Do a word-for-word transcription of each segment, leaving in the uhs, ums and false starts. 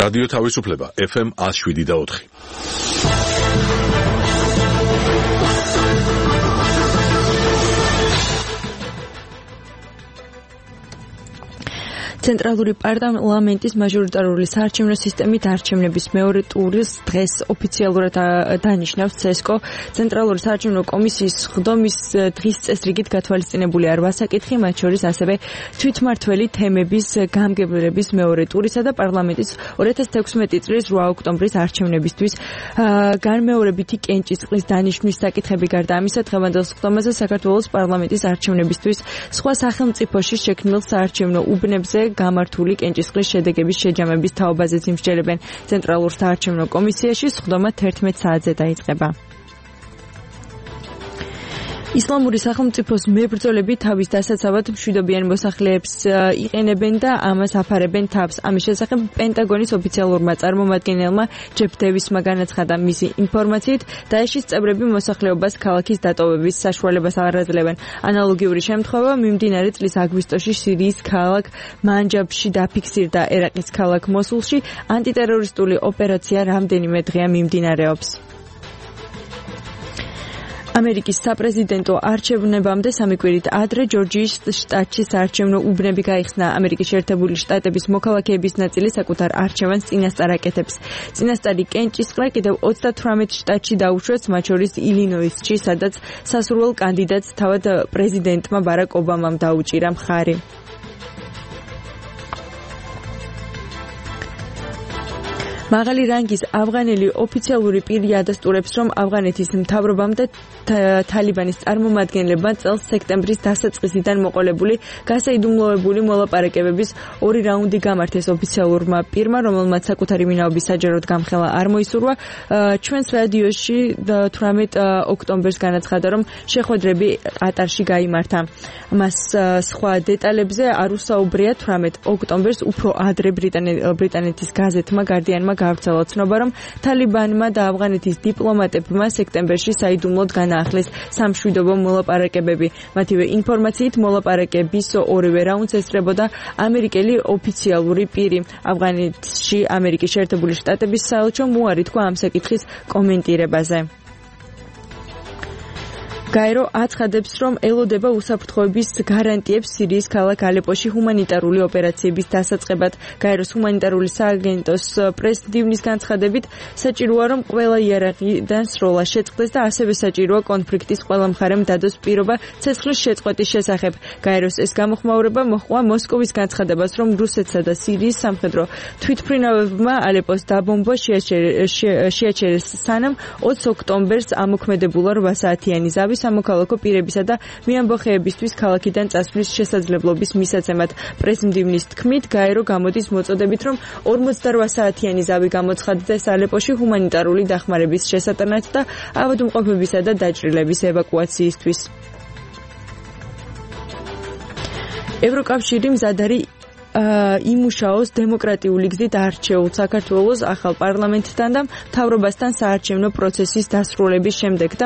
რადიო თავისუფლება ეფ ემ one oh seven და four. ცენტრალური პარლამენტის მაჟორიტარული საარჩევნო სისტემით არჩევნების მეორე ტურის დღეს ოფიციალურად დანიშნავს ცესკო. ცენტრალური საარჩევნო კომისიის ხდომის დღის წესრიგით გათვალისწინებული არ ვასაკითხი, მათ შორის ასევე თვითმმართველი თემების გამგებლების მეორე ტურისა და პარლამენტის two thousand sixteen წლის eight ოქტომბრის არჩევნებისთვის განმეორებითი კენჭისყრის დანიშვნის საკითხები. გარდა ამისა, დღევანდელ ხდომაზე საქართველოს პარლამენტის არჩევნებისთვის სხვა სახელმწიფოში შექმნილ საარჩევნო უბნებზე გამართული კენჭისყრის შედეგების შეჯამების თაობაზეც იმსჯელებენ. ცენტრალურ საარჩევნო კომისიაში ხდომა eleven საათზე დაიწყება. ისლამური სახელმწიფოს მებრძოლები თავის დასაცავად მშვიდობიან მოსახლეებს იყენებენ და ამას აფარებენ თავს. ამის შესახებ პენტაგონის ოფიციალურმა წარმომადგენელმა ჯეფ დევისმა განაცხადა. მისი ინფორმაციით, დაეშის წევრები მოსახლეობას ქალაქის დატოვების საშუალებას არ აძლევენ. ანალოგიური შემთხვევა მიმდინარე წლის აგვისტოში სირიის ქალაქ მანჯაბში დაფიქსირდა. ერაყის ქალაქ მოსულში ანტიტერორისტული ოპერაცია რამდენიმე დღეა მიმდინარეობს. ამერიკის საპრეზიდენტო არჩევნებამდე სამი კვირით ადრე ჯორჯიის შტატში საარჩევნო უბნები გაიხსნა. ამერიკის შეერთებული შტატების მოქალაქეების ნაწილი საკუთარ არჩევანს წინასწარ აკეთებს. წინასწარი კენჭისყრა კიდევ thirty-eight შტატში დაუშვეს, მათ შორის ილინოისში, სადაც სასურველ კანდიდატს თავად პრეზიდენტმა ბარაკ ობამამ დაუჭირა მხარი. მაღალი რანგის ავღანელი ოფიციალური პირი ადასტურებს, რომ ავღანეთის მთავრობამ და თალიბანის წარმომადგენლებმა წელს სექტემბრის დასაწყისიდან მოყოლებული გასაიდუმლოებული მოლაპარაკებების ორი რაუნდი გამართეს. ოფიციალურმა პირმა, რომელმაც საკუთარი ვინაობის საჯაროდ გამხელა არ მოისურვა, ჩვენს რადიოში eighteen ოქტომბერს განაცხადა, რომ შეხვედრები ყატარში გაიმართა. მას სხვა დეტალებზე არ უსაუბრია. eighteen ოქტომბერს უფრო ადრე ბრიტანეთის გაზეთმა Guardian-მა გავრცელა ცნობა, რომ თალიბანმა და ავღანეთის დიპლომატებმა სექტემბერში საიდუმლოდ განაახლეს სამშვიდობო მოლაპარაკებები. მათივე ინფორმაციით, მოლაპარაკების ორივე რაუნდს ესწრებოდა ამერიკელი ოფიციალური პირი. ავღანეთში ამერიკის შეერთებული შტატების საელჩომ უარი თქვა ამ საკითხის კომენტირებაზე. გაერო აცხადებს, რომ ელოდება უსაფრთხოების გარანტიებს სირიის ქალაქ ალეპოში ჰუმანიტარული ოპერაციების დასაწყებად. გაეროს ჰუმანიტარული სააგენტოს პრეს-დივნის განცხადებით, საჭიროა, რომ ყველა იარაღიდან სროლა შეწყდეს და ასევე საჭიროა კონფლიქტის ყველა მხარემ დადოს პირობა ცეცხლის შეწყვეტის შესახებ. გაეროს ეს გამოხმაურება მოჰყვა მოსკოვის განცხადებას, რომ რუსეთსა და სირიის სამხედრო თვითმფრინავებმა ალეპოს დაბომბვა შეაჩერეს, სანამ twenty ოქტომბერს ამოქმედებულა eight საათიანი ზავის სამოქალაქო პირებისა და მეამბოხეებისთვის ქალაქიდან წასვლის შესაძლებლობის მისაცემად. პრესმდივნის თქმით, გაერო გამოდის მოწოდებით, რომ forty-eight საათიანი ზავი გამოცხადდეს ალეპოში ჰუმანიტარული დახმარების შესატანად და ავადმყოფებისა და დაჭრილების ევაკუაციისთვის. ევროკავშირი მზად არის იმუშაოს დემოკრატიული გზით არჩეულ საქართველოს ახალ პარლამენტთან და მთავრობასთან საარჩევნო პროცესის დასრულების შემდეგ და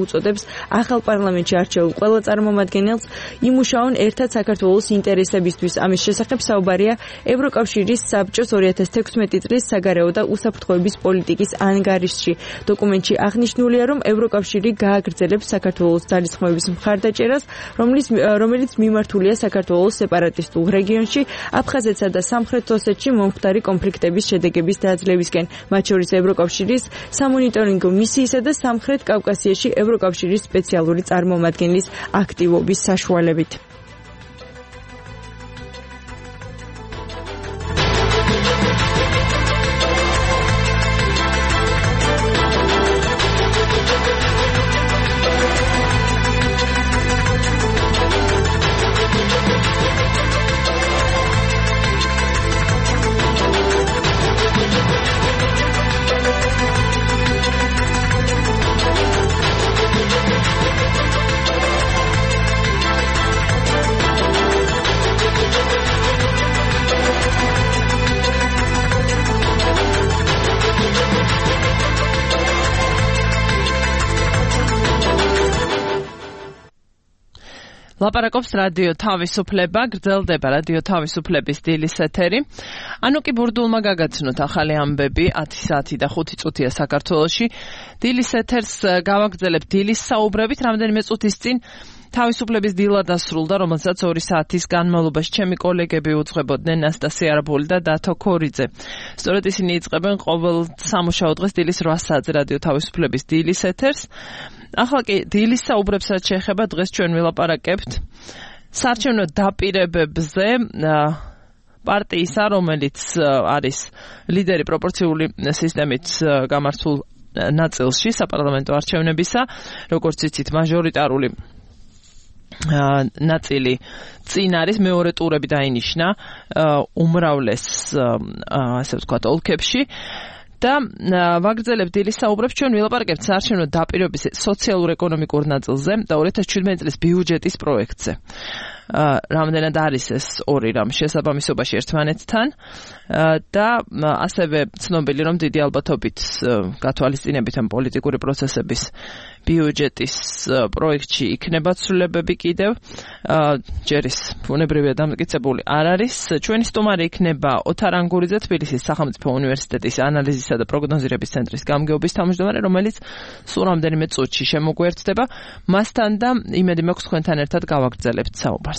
უწოდებს ახალ პარლამენტში არჩეულ ყველა წარმომადგენელს იმუშაონ ერთად საქართველოს ინტერესებისთვის. ამის შესახებ საუბარია ევროკავშირის საბჭოს two thousand sixteen წლის საგარეო და უსაფრთხოების პოლიტიკის ანგარიშში. დოკუმენტში აღნიშნულია, რომ ევროკავშირი გააგრძელებს საქართველოს ძალისხმევის მხარდაჭერას, რომელიც მიმართულია საქართველოს სეპარატისტულ რეგიონში, აფხაზეთსა და სამხრეთ ოსეთში მომხდარი კონფლიქტების შედეგების დაძლევისკენ, მათ შორის ევროკავშირის სამონიტორინგო მისიისა და სამხრეთ კავკასიაში ევროკავშირის სპეციალური წარმომადგენლის აქტივობის საშუალებით. ლაპარაკობს რადიო თავისუფლება, გრძელდება რადიო თავისუფლების დილის ეთერი. ანუ კი ბურდულმა გაგაცნოთ ახალი ამბები, ათი საათი და ხუთი წუთია საქართველოში. დილის ეთერს გავაგრძელებ დილის საუბრებით, რამდენიმე წუთის წინ თავისუფლების დილა დასრულდა, რომელსაც ორი საათის განმავლობაში ჩემი კოლეგები უძღვებოდნენ ნასტასია არაბული და დათო ქორიძე. სწორედ ისინი იწყებენ ყოველ სამუშაო დღეს დილის რვა საათზე რადიო თავისუფლების დილის ეთერს. ახლა კი დილის საუბრებსაც შეეხება, დღეს ჩვენ ვილაპარაკებთ საარჩევნო დაპირებებზე პარტიისა, რომელიც არის ლიდერი პროპორციული სისტემით გამართულ ნაწილში საპარლამენტო არჩევნებისა, როგორც იცით, მაჟორიტარული ნაწილი წინ არის, მეორე ტურები დაინიშნა უმრავლეს ასე ვთქვათ ოლქებში. და ვაგრძელებ დილის საუბრებს, ჩვენ ვილაპარაკებთ საარჩევნო დაპირებების სოციალურ-ეკონომიკურ ნაწილზე და ორი ათას ჩვიდმეტი წლის ბიუჯეტის პროექტზე. რამდენად არის ეს ორი რამ შესაბამისობაში ერთმანეთთან და ასევე ცნობილი, რომ დიდი ალბათობით გათვალისწინებით ამ პოლიტიკური პროცესების ბიუჯეტის პროექტში იქნება ცვლილებები კიდევ. ჯერის ბუნებრივია დამტკიცებული არ არის. ჩვენი სტუმარი იქნება ოთარ ანგურიძე, თბილისის სახელმწიფო უნივერსიტეტის ანალიზისა და პროგნოზირების ცენტრის გამგეობის თავმჯდომარე, რომელიც სულ რამდენიმე წუთში შემოგვერთდება. მასთან და იმედი მაქვს თქვენთან ერთად გავაგრძელებთ საუბარს.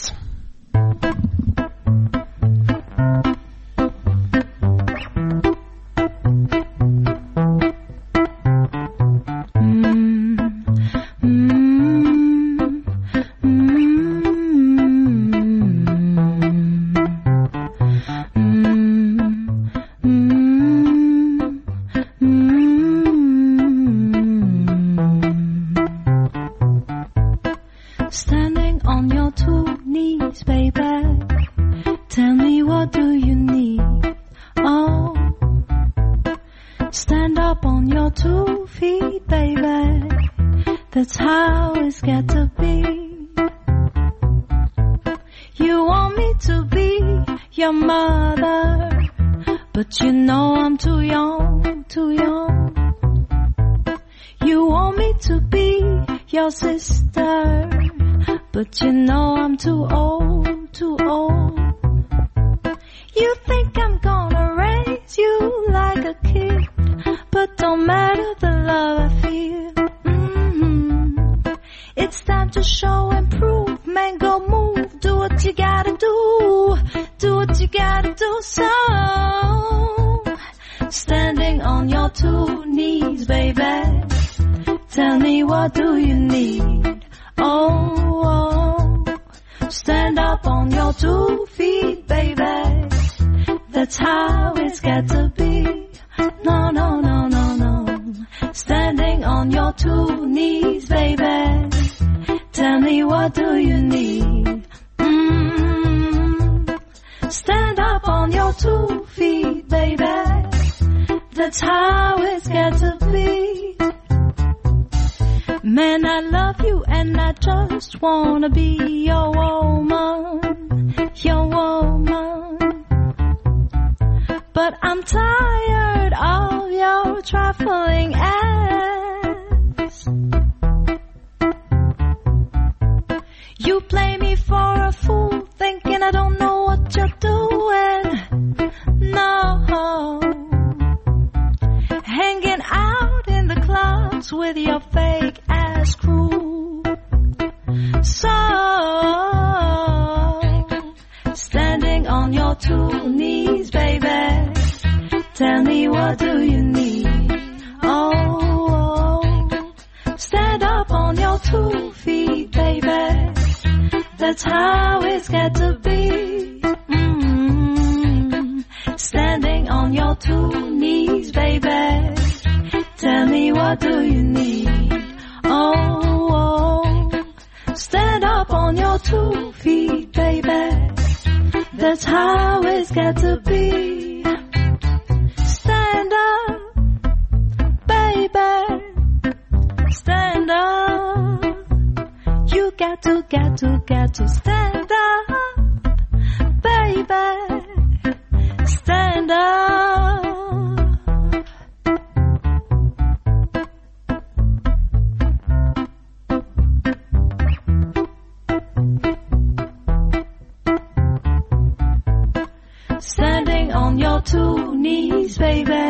standing on your two knees, baby.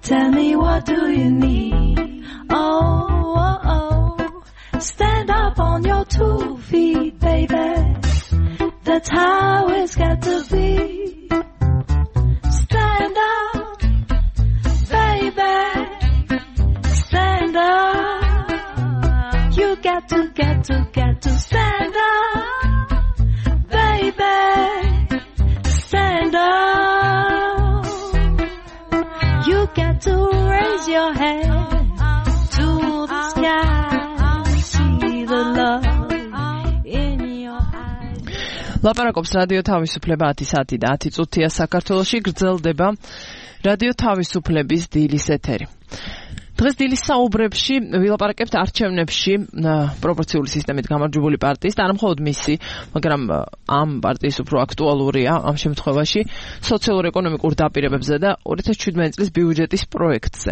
Tell me what do you need? Oh, oh, oh. Stand up on your two feet, baby. That's how it's got to be. Stand up, baby. Stand up. You got to, get to, get to stand up, baby. Stand up. You got to raise your head to the sky. See the love in your eyes. ლაპარაკობს რადიო თავისუფლება ათი საათი და ათი წუთია საქართველოში გრძელდება რადიო თავისუფლების დილის ეთერი. დღეს დილის საუბრებში ვილაპარაკებთ არჩევნებში პროპორციული სისტემით გამარჯვებული პარტიის და არ მხოლოდ მისი, მაგრამ ამ პარტიის უფრო აქტუალურია ამ შემთხვევაში სოციალურ-ეკონომიკურ დაპირებებზე და ორი ათას შვიდმეტი წლის ბიუჯეტის პროექტზე.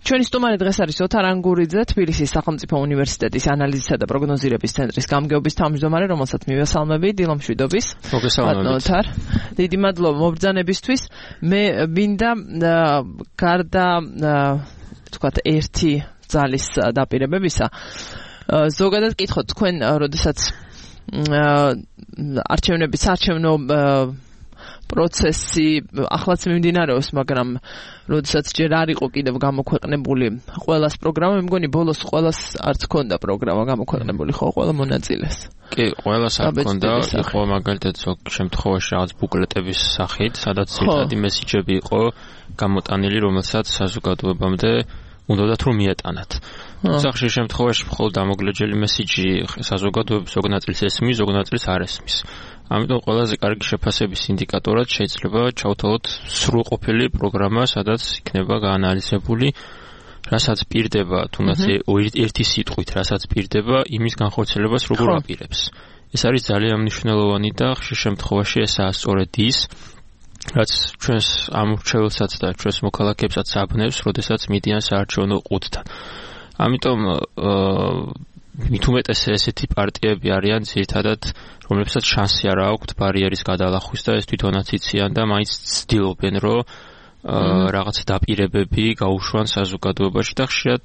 ჩვენი სტუმარი დღეს არის ოთარ ანგურიძე, თბილისის სახელმწიფო უნივერსიტეტის ანალიზისა და პროგნოზირების ცენტრის გამგეობის თავმჯდომარე, რომელსაც მივესალმები. დილო მშვიდობის. მოგესალმებით. ოთარ, დიდი მადლობა მობრძანებისთვის. მე მინდა გარდა თქვათ ერთი ძალის დაპირებებისა ზოგადად კითხოთ თქვენ როდესაც არჩევნების არჩევნო პროცესი ახლაც მიმდინარეობს, მაგრამ როდესაც ჯერ არ იყო კიდევ გამოქვეყნებული ყველას პროგრამა, მე მგონი ბოლოს ყველას არც ჰქონდა პროგრამა გამოქვეყნებული, ხო, ყველა მონაწილეს. კი, ყველას არ ჰქონდა, იყო მაგალითად ზოგ შემთხვევაში რაღაც ბუკლეტების სახით, სადაც ერთადი მესიჯები იყო გამოტანილი, რომელსაც საზოგადოებამდე უნდათ რომ მიეტანათ. სახში შემთხვევაში მხოლოდ ამოგლეჯელი მესიჯი საზოგადოების ზოგ ნაწილს ესმის, ზოგ ნაწილს არ ესმის. ამიტომ ყველაზე კარგი შეფასების ინდიკატორად შეიძლება ჩავთვალოთ სრულყოფილი პროგრამა, სადაც იქნება გაანალიზებული, რასაც პირდება, თუნდაც ერთი სიტყვით, რასაც პირდება, იმის განხორციელებას როგორ აპირებს. ეს არის ძალიან მნიშვნელოვანი და ხშირ შემთხვევაში ესაა სწორედ ის, რაც ჩვენს ამორჩეველსაც და ჩვენს მოქალაქეებსაც აბნევს, როდესაც მიდიან საარჩევნო ყუთთან. ამიტომ მით უმეტეს ესეთი პარტიები არიან ძირითადად, რომლებსაც შანსი არ აქვთ ბარიერის გადალახვის და ეს თვითონაც იციან და მაინც ცდილობენ, რომ რაღაც დაპირებები გაუშვან საზოგადოებაში და ხშირად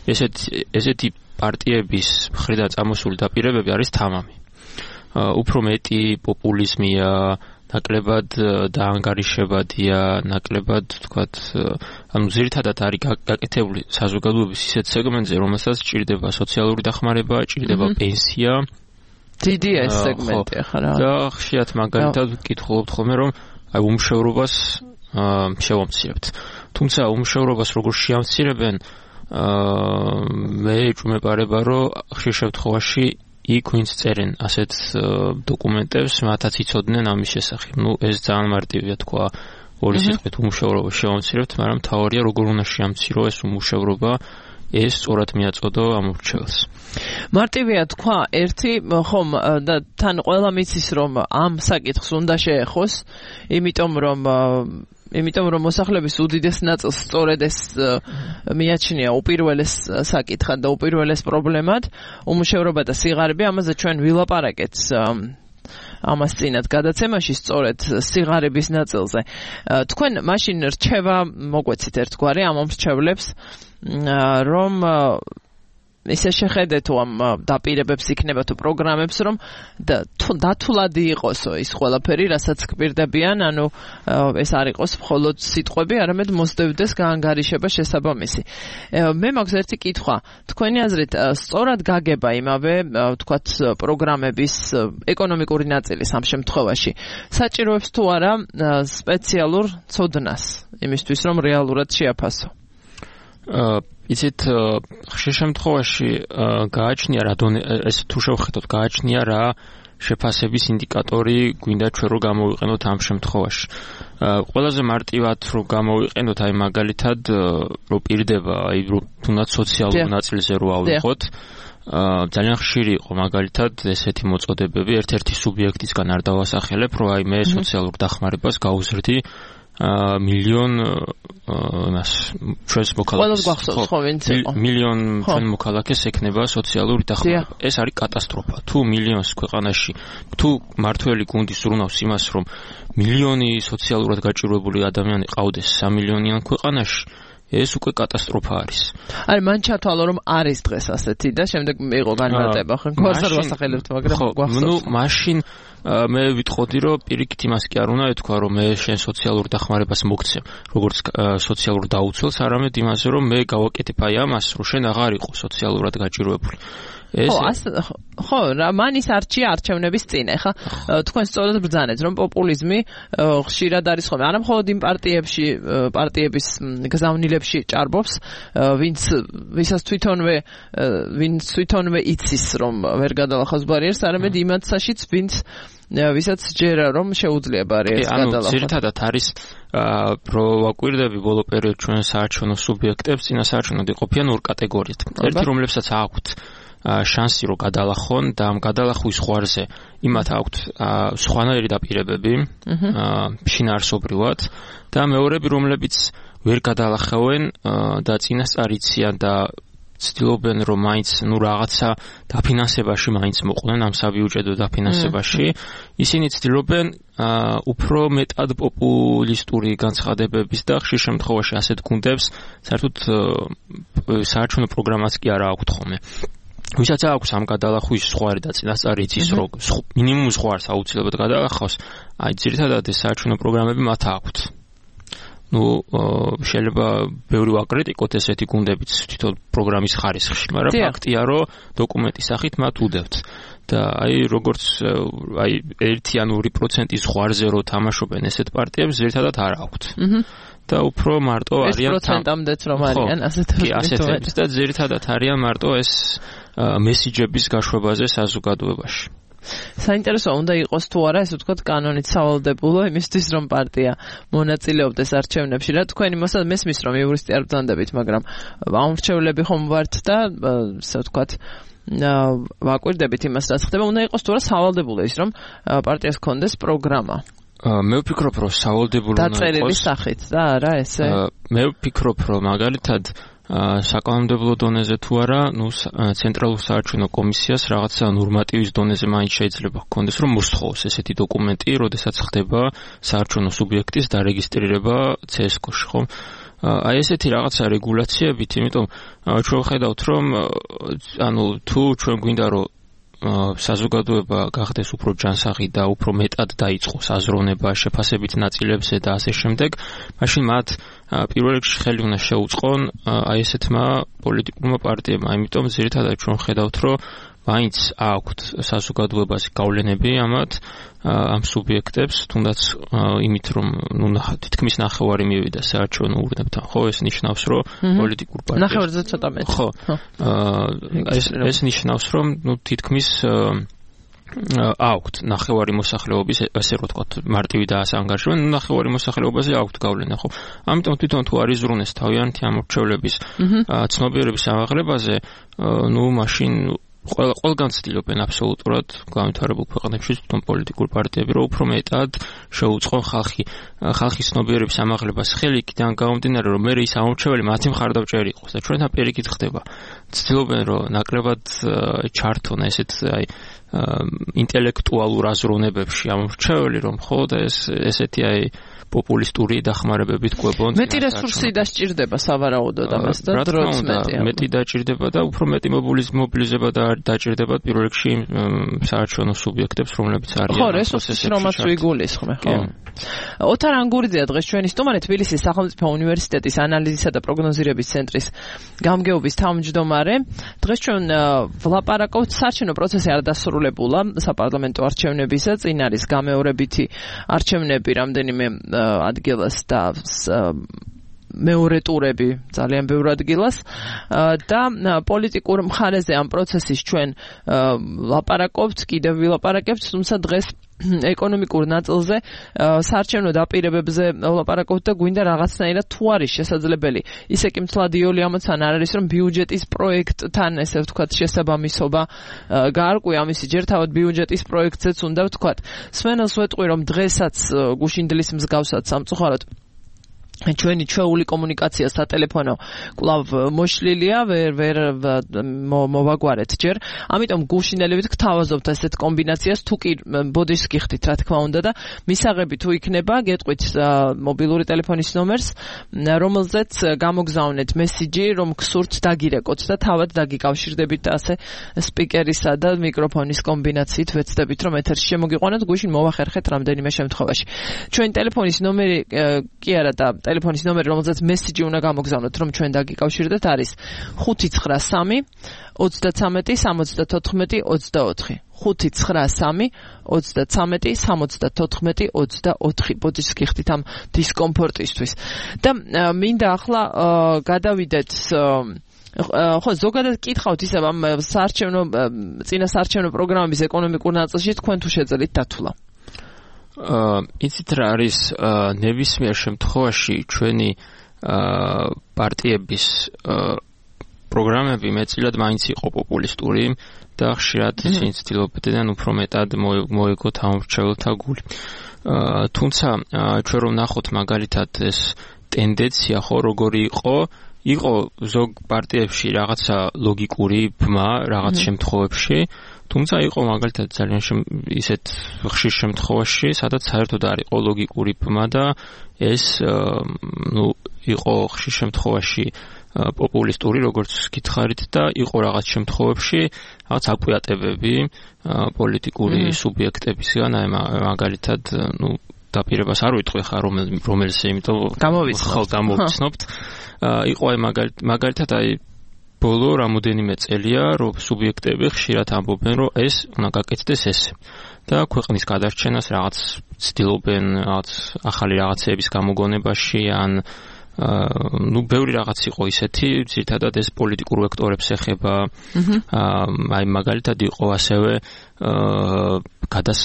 ესეთი ესეთი პარტიების მხრიდან წამოსული დაპირებები არის თამამი. უფრო მეტი პოპულიზმია, ნაკლებად დაანგარიშებადია, ნაკლებად, თქვათ, ანუ ძირითადად არის გაკეთებული საზოგადოების ისეთ სეგმენტზე, რომელსაც ჭირდება სოციალური დახმარება, ჭირდება პენსია. დიდია ეს სეგმენტი ახლა რა. და ხშირად მაგალითად ვკითხულობთ ხოლმე, რომ აი უმშევრობას შევამცირებთ. თუმცა უმშევრობას როგორ შეამცირებენ, მე ჭუმეპარება, რომ ხშირ შემთხვევაში იქ ვინც წერენ ასეთ დოკუმენტებს, მათაც იცოდნენ ამის შესახებ. ნუ ეს ძალიან მარტივია თქვა, ორი სიტყვით უმუშევრობა შევამცირებთ, მაგრამ თავარია როგორ უნდა შეამცირო ეს უმუშევრობა, ეს სწორად მიაწოდო ამორჩეველს. მარტივია თქვა, ერთი ხომ და თან ყველა მიცის რომ ამ საკითხს უნდა შეეხოს, იმიტომ რომ იმიტომ რომ მოსახლეობის უდიდეს ნაწილს სწორედ ეს მიაჩნია უპირველეს საკითხად და უპირველეს პრობლემად, უმუშევრობა და სიღარიბე, ამაზე ჩვენ ვილაპარაკეთ ამას წინათ გადაცემაში სწორედ სიღარიბის ნაწილზე. თქვენ მაშინ რჩევა მოგვეცით ერთგვარი ამ მომრჩევლებს, რომ ისე შეხედეთო ამ დაპირებებს იქნება თუ პროგრამებს, რომ დათვლადი იყოსო ის ყველაფერი, რასაც გპირდებიან, ანუ ეს არ იყოს მხოლოდ სიტყვები, არამედ მოსდევდეს გაანგარიშება შესაბამისი. მე მაქვს ერთი კითხვა, თქვენი აზრით სწორად გაგება იმავე, თქვათ, პროგრამების ეკონომიკური ნაწილის ამ შემთხვევაში საჭიროებს თუ არა სპეციალურ ცოდნას იმისთვის, რომ რეალურად შეაფასო? იცით, ხშირ შემთხვევაში გააჩნია რა ეს თუ შევხედოთ, გააჩნია რა შეფასების ინდიკატორი გვინდა ჩვენ რომ გამოვიყენოთ ამ შემთხვევაში. ყველაზე მარტივად რომ გამოვიყენოთ, აი მაგალითად რომ პირდება, აი რომ თუნდაც სოციალურ ნაწილზე რო ავიღოთ, ძალიან ხშირი იყო მაგალითად ესეთი მოწოდებები, ერთ-ერთი სუბიექტისგან არ დავასახელებ, რომ აი მე სოციალურ დახმარებას გავუზრდი მილიონ მას ჩვენს მოქალაქეს მილიონ ჩვენ მოქალაქეს ექნება სოციალური დახმარება. ეს არის კატასტროფა. თუ მილიონს ქვეყანაში თუ მართველი გუნდი სურნავს იმას, რომ მილიონი სოციალურად გაჭირვებული ადამიანი ყავდეს სამ მილიონიან ქვეყანაში, ეს უკვე კატასტროფა არის. აი მან ჩათვალო რომ არის დღეს ასეთი და შემდეგ მიიღო განმარტება ხო გვასარ ვასახელებთ მაგრამ გვახსოვს. ნუ მაშინ მე ვიტყოდი რომ პირიქით იმას კი არ უნდა ეთქვა რომ მე შენ სოციალურ დახმარებას მოგცემ როგორც სოციალურ დაუცველს, არამედ იმაზე რომ მე გავაკეთებ აი ამას რომ შენ აღარ იყო სოციალურად გაჭირვებული. ხო, ხო, რა მანის არჩია არჩევნების წინ, ეხა თქვენ სწორად ბრძანეთ, რომ პოპულიზმი ხშირად არის ხოლმე, არა მხოლოდ იმ პარტიებში, პარტიების გზავნილებში ჭარბობს, ვინც ვისაც თვითონვე ვინც თვითონვე იცის, რომ ვერ გადალახავს ბარიერს, არამედ იმათსაშიც, ვინც ვისაც ჯერა რომ შეუძლია ბარიერს გადალახოს. ანუ ძირითადად არის რო ვაკვირდები ბოლო პერიოდში ჩვენ საარჩევნო სუბიექტებს, წინა საარჩევნოდ იყოფიან ორ კატეგორიად. ერთი რომლებსაც აქვთ შანსი რომ გადალახონ და ამ გადალახვის ზღვარზე იმათ აქვთ სხვანაირი დაპირებები შინაარსობრივად და მეორები რომლებიც ვერ გადალახავენ და წინასწარ იციან და ცდილობენ რომ მაინც ნუ რაღაცა დაფინანსებაში მაინც მოყვნენ ამ საბიუჯეტო დაფინანსებაში, ისინი ცდილობენ უფრო მეტად პოპულისტური განცხადებების და ხშირ შემთხვევაში ასეთ გუნდებს საერთოდ საარჩევნო პროგრამაც კი არ აქვთ ხოლმე. ვისაც აქვს ამ გადალახვის ზღვარი და წინასწარ იცის რომ მინიმუმ ზღვარს აუცილებლად გადალახავს, აი ძირითადად ეს საარჩევნო პროგრამები მათ აქვთ. ნუ შეიძლება ბევრი ვაკრიტიკოთ ესეთი გუნდებიც თვითონ პროგრამის ხარისხში, მაგრამ ფაქტია რომ დოკუმენტის სახით მათ უდევთ. და აი როგორც აი ერთი ან ორი პროცენტის ზღვარზე რო თამაშობენ ესეთ პარტიებს ძირითადად არ აქვთ. და უფრო მარტო არიან ეს პროცენტამდეც რომ არიან ასეთები. კი, ასეთები და ძირითადად არიან მარტო ეს მესიჯების გაშვებაზე საზოგადოებაში. საინტერესო უნდა იყოს თუ არა ესე ვთქვათ კანონით სავალდებულო იმისთვის რომ პარტია მონაწილეობდეს არჩევნებში. რა თქვენი მოსად მესმის რომ იურისტი არ ბრძანდებით, მაგრამ ამრჩევლები ხომ ვართ და ესე ვთქვათ ვაკვირდებით იმას რაც ხდება, უნდა იყოს თუ არა სავალდებულო ის რომ პარტიას ჰქონდეს პროგრამა. მე ვფიქრობ რომ სავალდებულო უნდა იყოს დაწერილი სახით და არა ესე. მე ვფიქრობ რომ მაგალითად საკანონმდებლო დონეზე თუ არა, ნუ ცენტრალურ საარჩევნო კომისიას რაღაცა ნორმატივის დონეზე მაინც შეიძლება ჰქონდეს რომ მოსთხოვოს ესეთი დოკუმენტი, როდესაც ხდება საარჩევნო სუბიექტის დარეგისტრირება ცესკოში, ხო? აი ესეთი რაღაცა რეგულაციებით, იმიტომ ჩვენ ვხედავთ რომ ანუ თუ ჩვენ გვინდა რომ საზოგადოება გახდეს უფრო ჯანსაღი და უფრო მეტად დაიწყოს აზროვნება შეფასებით ნაწილებზე და ასე შემდეგ, მაშინ მათ პირველ რიგში ხელი უნდა შეუწყონ აი ესეთმა პოლიტიკურმა პარტიებმა, იმიტომ ძირითადად ჩვენ ხედავთ რომ მაინც აქვთ საზოგადოებაზე გავლენები ამათ ამ სუბიექტებს, თუნდაც იმით რომ ნუ თითქმის ნახევარი მივიდა საარჩევნო ურნებთან, ხო, ეს ნიშნავს რომ პოლიტიკურ პარტიებს ნახევარზე ცოტა მეტი. ხო. ეს ეს ნიშნავს რომ ნუ თითქმის აქვთ ნახევარი მოსახლეობის, ასე რომ ვთქვათ, მარტივი დაასანგარჟებენ, ნახევარი მოსახლეობაზე აქვთ გავლენა, ხო? ამიტომ თვითონ თუ არის ზრუნეს თავიანთი ამორჩევლების ცნობიერების ამაღლებაზე, ნუ მაშინ ყველა ყველგან ცდილობენ აბსოლუტურად განვითარებულ ქვეყნებში თვითონ პოლიტიკურ პარტიები რომ უფრო მეტად შეუწყონ ხალხი ხალხის ცნობიერების ამაღლებას ხელი იქიდან გამომდინარე რომ მე ის ამორჩეველი მათი მხარდამჭერი იყოს და ჩვენთან პირიქით ხდება. ცდილობენ რომ ნაკლებად ჩართონ ესეთ აი ინტელექტუალურ აზროვნებებში ამორჩეველი რომ ხო და ეს ესეთი აი პოპულისტური დახმარებებით კვებონ. მეტი რესურსი დასჭირდება სავარაუდოდ ამას და დროც მეტი. მეტი დაჭირდება და უფრო მეტი მობილიზება დაჭირდება პირველ რიგში საარჩევნო სუბიექტებს, რომლებიც არიან. ხო, რესურსის რომაც ვიგულისხმე, ხო. ოთარ ანგურიძეა დღეს ჩვენი სტუმარი, თბილისის სახელმწიფო უნივერსიტეტის ანალიზისა და პროგნოზირების ცენტრის გამგეობის თავმჯდომარე. დღეს ჩვენ ვლაპარაკობთ საარჩევნო პროცესი არ დასრულებულა საპარლამენტო არჩევნებისა, წინ არის გამეორებითი არჩევნები რამდენიმე ადგილას და მეორე ტურები ძალიან ბევრ ადგილას და პოლიტიკურ მხარეზე ამ პროცესის ჩვენ ლაპარაკობთ, კიდევ ვილაპარაკებთ, თუმცა დღეს ეკონომიკურ ნაწილზე საარჩევნო დაპირებებზე ვლაპარაკობთ და გვინდა რაღაცნაირად თუ არის შესაძლებელი ისე კი მთლად იოლი ამაც არ არის რომ ბიუჯეტის პროექტთან ესე ვთქვათ შესაბამისობა გაარკვია ამისი ჯერ თავად ბიუჯეტის პროექტზეც უნდა ვთქვათ. სვენელს ვეტყვი რომ დღესაც გუშინდლის მსგავსად სამწუხაროდ ჩვენი ჩვეული კომუნიკაცია სატელეფონო კვლავ მოშლილია, ვერ ვერ მოვაგვარეთ ჯერ. ამიტომ გულშინელებით გთავაზობთ ესეთ კომბინაციას, თუ კი ბოდიშს გიხდით, რა თქმა უნდა და მისაღები თუ იქნება, გეტყვით მობილური ტელეფონის ნომერს, რომელზეც გამოგზავნეთ მესიჯი, რომ გსურთ დაგირეკოთ და თავად დაგიკავშირდებით ასე სპიკერისა და მიკროფონის კომბინაციით ვეცდებით, რომ ეთერში შემოგიყვანოთ, გუშინ მოვახერხეთ რამდენიმე შემთხვევაში. ჩვენი ტელეფონის ნომერი კი არა და ტელეფონის ნომერი, რომელზეც მესიჯი უნდა გამოგზავნოთ, რომ ჩვენ დაგიკავშირდეთ, არის ხუთი ცხრა სამი ოცდათრამეტი სამოცდათოთხმეტი ოცდაოთხი. ხუთი ცხრა სამი ოცდათრამეტი სამოცდათოთხმეტი ოცდაოთხი. ბოდიშს გიხდით ამ დისკომფორტისთვის. და მინდა ახლა გადავიდეთ ხო, ზოგადად კითხავთ ისევ ამ საარჩევნო წინა საარჩევნო პროგრამების ეკონომიკურ ნაწილში თქვენ თუ შეძლებთ დათვლა? აა იცით რა არის ნებისმიერ შემთხვევაში ჩვენი პარტიების პროგრამები მეტწილად მაინც იყო პოპულისტური და ხშირად ისინი ცდილობდნენ უფრო მეტად მოეგოთ ამორჩეველთა გული. თუმცა ჩვენ რომ ნახოთ მაგალითად ეს ტენდენცია ხო როგორი იყო, იყო ზოგ პარტიებში რაღაცა ლოგიკური ბმა რაღაც შემთხვევებში, თუმცა იყო მაგალითად ძალიან ისეთ ხშირ შემთხვევაში, სადაც საერთოდ არ იყო ლოგიკური ბმა და ეს ნუ იყო ხშირ შემთხვევაში პოპულისტური, როგორც გითხარით და იყო რაღაც შემთხვევებში რაღაც აკვიატებები პოლიტიკური სუბიექტებისგან, აი მაგალითად, ნუ დაპირებას არ ვიტყვი ხა რომელს, იმიტომ გამოვიცნობთ. გამოვიცნობთ. იყო აი მაგალითად აი ბოლო რამოდენიმე წელია, რომ სუბიექტები ხშირად ამბობენ, რომ ეს უნდა გაკეთდეს ესე. და ქვეყნის გადარჩენას რაღაც ცდილობენ რაღაც ახალი რაღაცების გამოგონებაში ან ნუ ბევრი რაღაც იყო ისეთი, ძირითადად ეს პოლიტიკურ ვექტორებს ეხება. აი მაგალითად იყო ასევე გადას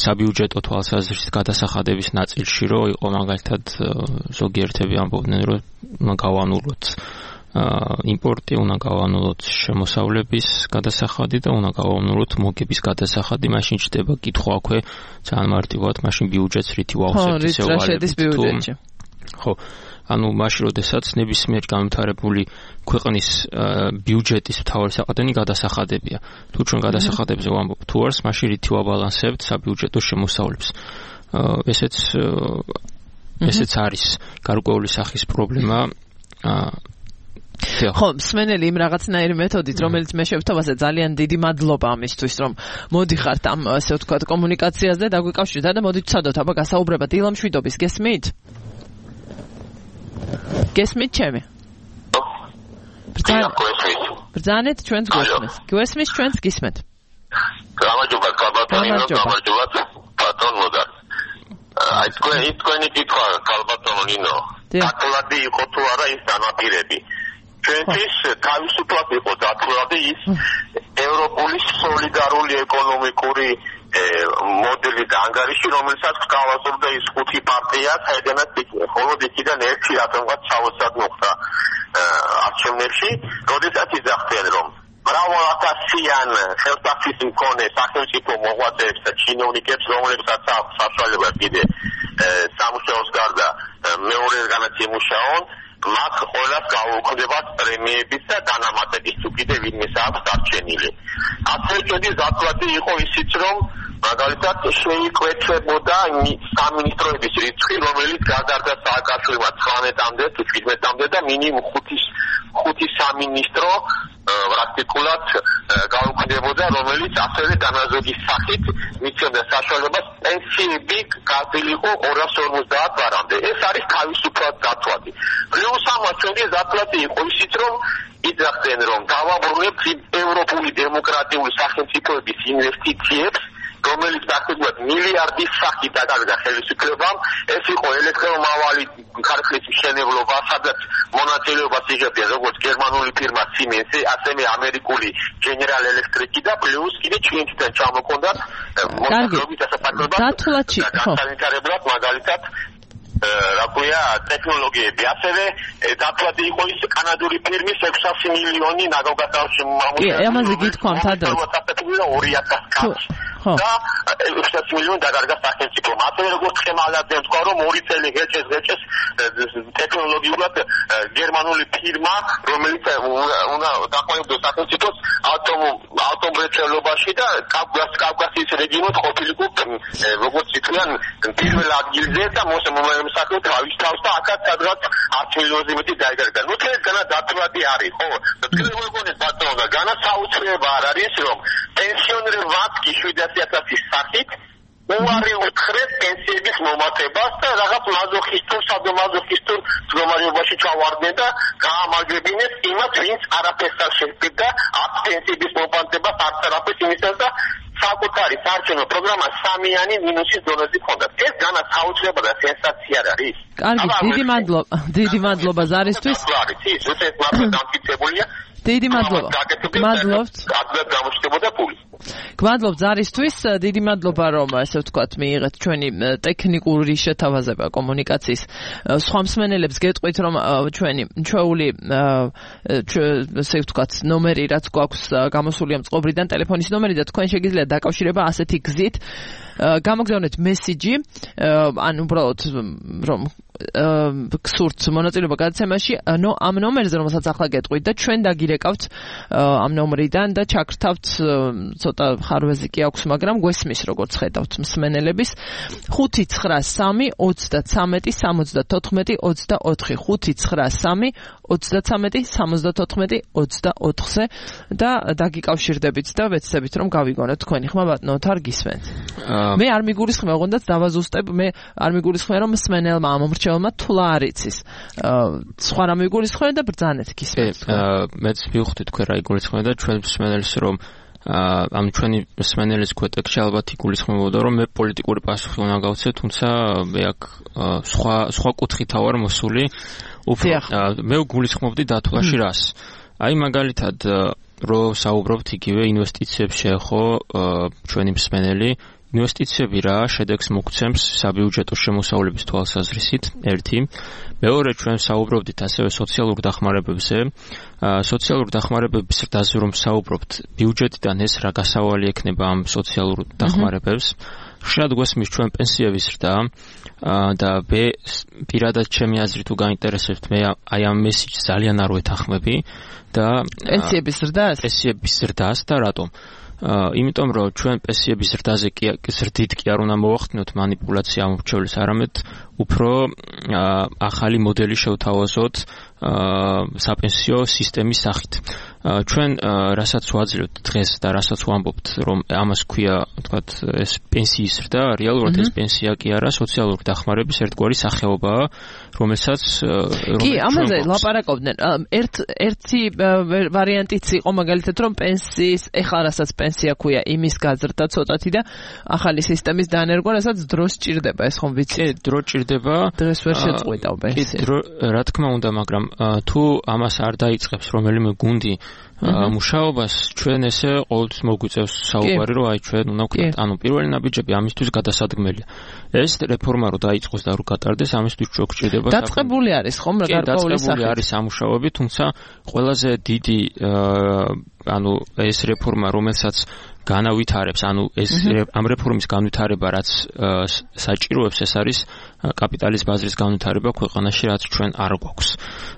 საბიუჯეტო თვალსაზრისით გადასახადების ნაწილში, რომ იყო მაგალითად ზოგიერთები ამბობდნენ, რომ უნდა გავანულოთ იმპორტი, უნდა გავანულოთ შემოსავლების გადასახადი და უნდა გავანულოთ მოგების გადასახადი, მაშინ ჩდება კითხვა აქვე ძალიან მარტივად, მაშინ ბიუჯეტს რითი ვავსებთ ისე ვალებით. ხო, ანუ მაშინ როდესაც ნებისმიერ განვითარებული ქვეყნის ბიუჯეტის მთავარი საყრდენი გადასახადებია. თუ ჩვენ გადასახადებზე ვამბობ თუ არს, მაშინ რითი ვაბალანსებთ საბიუჯეტო შემოსავლებს. ესეც ესეც არის გარკვეული სახის პრობლემა. ხო, მსმენელი იმ რაღაცნაირი მეთოდით, რომელიც მე შევთავაზე, ძალიან დიდი მადლობა ამისთვის, რომ მოდიხართ ამ ასე ვთქვათ კომუნიკაციაზე და დაგვიკავშირეთ და მოდით ვცადოთ აბა გასაუბრებად დილა მშვიდობის, გესმით? გესმით ჩემი? ბრძანეთ ჩვენს გვესმის. გვესმის ჩვენს გისმენთ. გამარჯობა კალბატონინო, გამარჯობა ბატონო. აი თქვენი თქვენი კითხვა კალბატონინო. დათვლადი იყო თუ არა ის განაპირები. ჩვენთვის თავისუფლად იყო დათვლადი ის ევროპული სოლიდარული ეკონომიკური მოდელი და ანგარიში, რომელსაც გავაზრდა ის ხუთი პარტია, საიდანაც ხოლო იქიდან ერთი რატომღაც საოცრად მოხდა არჩევნებში, როდესაც იძახდნენ, რომ მრავალათასიან ხელსაყრლის მქონე სახელმწიფო მოღვაწეებს და ჩინოვნიკებს, რომლებსაც აქვს საშუალება კიდე სამუშაოს გარდა მეორედგანაც იმუშაონ, მათ ყველას გაუქმდებათ პრემიების და დანამატების თუ კიდე ვინმეს აქვს დარჩენილი. ასევე ჩვენი დათვლადი იყო ისიც, რომ მაგალითად შეიკვეთებოდა სამინისტროების რიცხვი, რომელიც გადარდა სააკაშვილმა ცხრამეტამდე თუ შვიდმეტამდე და მინიმუმ ხუთი სამინისტრო პრაქტიკულად გაუქმდებოდა, რომელიც ასევე განაზოგის სახით მიცემდა საშუალებას პენსიები გადაილიყო ორას ორმოცდაათ ბარამდე. ეს არის თავისუფლად დათვლადი. პლუს ამას ჩვენი დათვლადი იყო ისიც, რომ იძახდნენ, რომ დავაბრუნებთ ევროპული დემოკრატიული სახელმწიფოების ინვესტიციებს, რომელიც პრაქტიკულად მილიარდის სახით დაგავიდა ხელისუფლებამ. ეს იყო ელექტრომავალი ქარხნის მშენებლობა, სადაც მონაწილეობას იღებდა როგორც გერმანული ფირმა Siemens-ი, ასევე ამერიკული General Electric-ი და პლუს კიდე ჩინეთიდან ჩამოყონდათ მოსახლეობის დასაფარებლად. დათვლაში, ხო. განვითარებლად მაგალითად რა ქვია ტექნოლოგიები. ასევე დათვლადი იყო ის კანადური ფირმის ექვსასი მილიონი ნაგავგადასამუშავებელი. კი, ამაზე გითქვამთ ადრე. ორი ათას კაცს. და ოცდაათი მილიონი დაკარგა სახელმწიფომ. ასევე როგორც ხემალაძემ თქვა, რომ ორი წელი ღეჭეს ღეჭეს ტექნოლოგიურად გერმანული ფირმა, რომელიც უნდა დაყოლებდოს სახელმწიფოს ატომ ატომრეწელობაში და კავკასიის რეგიონად ყოფილიყო როგორც ითვლიან პირველ ადგილზე და მოსამართლე თავის თავს და აქაც სადღაც ათი მილიონზე მეტი დაიკარგა. ნუ თელა დათვადი არის, ხო? თქვენ მოგონეთ ბატონო და განსაუცრება არ არის რომ პენსიონერებმა შვიდასი ათასის სახით უარი უთხრეს პენსიების მომატებას და რაღაც მაზოხისტურ, სადომაზოხისტურ მდგომარეობაში ჩავარდნენ და გაამაგრებინეს იმათ, ვინც არაფერს არ შეგვიდა აქ პენსიების მომატებას არც არაფერს იმისას და საკუთარი საარჩევნო პროგრამა სამიანი მინუსის დონეზე ჰქონდა. ეს განსაუცრება და სენსაცია არის. კარგი, დიდი მადლობა. დიდი მადლობა ზარისთვის. ის უცებ მართლა დამტკიცებულია. დიდი მადლობა. გმადლობთ. ადრე გამოჩნდებოდა პული. გმადლობთ ზარისთვის, დიდი მადლობა რომ ასე ვთქვათ მიიღეთ ჩვენი ტექნიკური შეთავაზება კომუნიკაციის სხვა მსმენელებს გეტყვით რომ ჩვენი ჩვეული ასე ვთქვათ ნომერი რაც გვაქვს გამოსული ამ წყობრიდან ტელეფონის ნომერი და თქვენ შეგიძლიათ დაკავშირება ასეთი გზით გამოგზავნეთ მესიჯი ან უბრალოდ რომ გსურთ მონაწილეობა გადაცემაში, ნო ამ ნომერზე რომელსაც ახლა გეტყვით და ჩვენ დაგირეკავთ ამ ნომრიდან და ჩაგრთავთ ცოტა ხარვეზი კი აქვს, მაგრამ გვესმის როგორც ხედავთ მსმენელების ხუთი ცხრა სამი ოცდათსამეტი სამოცდათოთხმეტი ოცდაოთხი ხუთი ცხრა სამი ოცდათსამეტი სამოცდათოთხმეტი ოცდაოთხზე და დაგიკავშირდებით და ვეცდებით რომ გავიგონოთ თქვენი ხმა ბატონო თარ გისმენთ. მე არ მიგულისხმე ოღონდ დავაზუსტებ, მე არ მიგულისხმე რომ მსმენელმა ამომრჩეველმა თულა არ იცის. სხვა რამ მიგულისხმე და ბრძანეთ გისმენთ. მეც მივხვდი თქვენ რა იგულისხმე და ჩვენ მსმენელს რომ ამ ჩვენი მსმენელის გვეტექში ალბათ იგულისხმებოდა რომ მე პოლიტიკური პასუხი უნდა გავცე, თუმცა მე აქ სხვა სხვა კუთხით ვარ მოსული. უფრო მე გულისხმობდი დათვლაში რას. აი მაგალითად რო საუბრობთ იგივე ინვესტიციებს შეეხო ჩვენი მსმენელი ინვესტიციები რა შედეგს მოგცემს საბიუჯეტო შემოსავლების თვალსაზრისით ერთი. მეორე ჩვენ საუბრობდით ასევე სოციალურ დახმარებებზე. სოციალურ დახმარებების ზრდაზე რომ საუბრობთ, ბიუჯეტიდან ეს რა გასავალი ექნება ამ სოციალურ დახმარებებს. ხშირად გვესმის ჩვენ პენსიების ზრდა და მე პირადად ჩემი აზრით თუ გაინტერესებთ, მე აი ამ მესიჯს ძალიან არ ვეთანხმები და პენსიების ზრდას? პენსიების ზრდას და რატომ? იმიტომ რომ ჩვენ პენსიების ზრდაზე კი ზრდით კი არ უნდა მოვახდინოთ მანიპულაცია ამორჩეულის, არამედ უფრო ახალი მოდელი შევთავაზოთ საპენსიო სისტემის სახით. ჩვენ რასაც ვაძლევთ დღეს და რასაც ვამბობთ რომ ამას ქვია თქვათ ეს პენსიის ზრდა, რეალურად ეს პენსია კი არა, სოციალური დახმარების ერთგვარი სახეობაა, რომელსაც კი ამაზე ლაპარაკობდნენ. ერთ ერთი ვარიანტიც იყო მაგალითად რომ პენსიის ეხლა რასაც პენსია ქვია იმის გაზრდა ცოტათი და ახალი სისტემის დანერგვა, რასაც დროს ჭირდება, ეს ხომ ვიცი? კი, დრო ჭირდება. დღეს ვერ შეწყვიტავ პენსია. კი, რა თქმა უნდა, მაგრამ თუ ამას არ დაიწყებს რომელიმე გუნდი მუშაობას, ჩვენ ესე ყოველთვის მოგვიწევს საუბარი, რომ აი ჩვენ უნდა ვქნათ, ანუ პირველი ნაბიჯები ამისთვის გადასადგმელია. ეს რეფორმა რო დაიწყოს და რო გატარდეს, ამისთვის ჩვენ გვჭირდება დაწყებული არის ხომ რა გარკვეული სახით. არის სამუშაოები, თუმცა ყველაზე დიდი ანუ ეს რეფორმა, რომელსაც განავითარებს, ანუ ეს ამ რეფორმის განვითარება რაც საჭიროებს, ეს არის კაპიტალის ბაზრის განვითარება ქვეყანაში, რაც ჩვენ არ გვაქვს.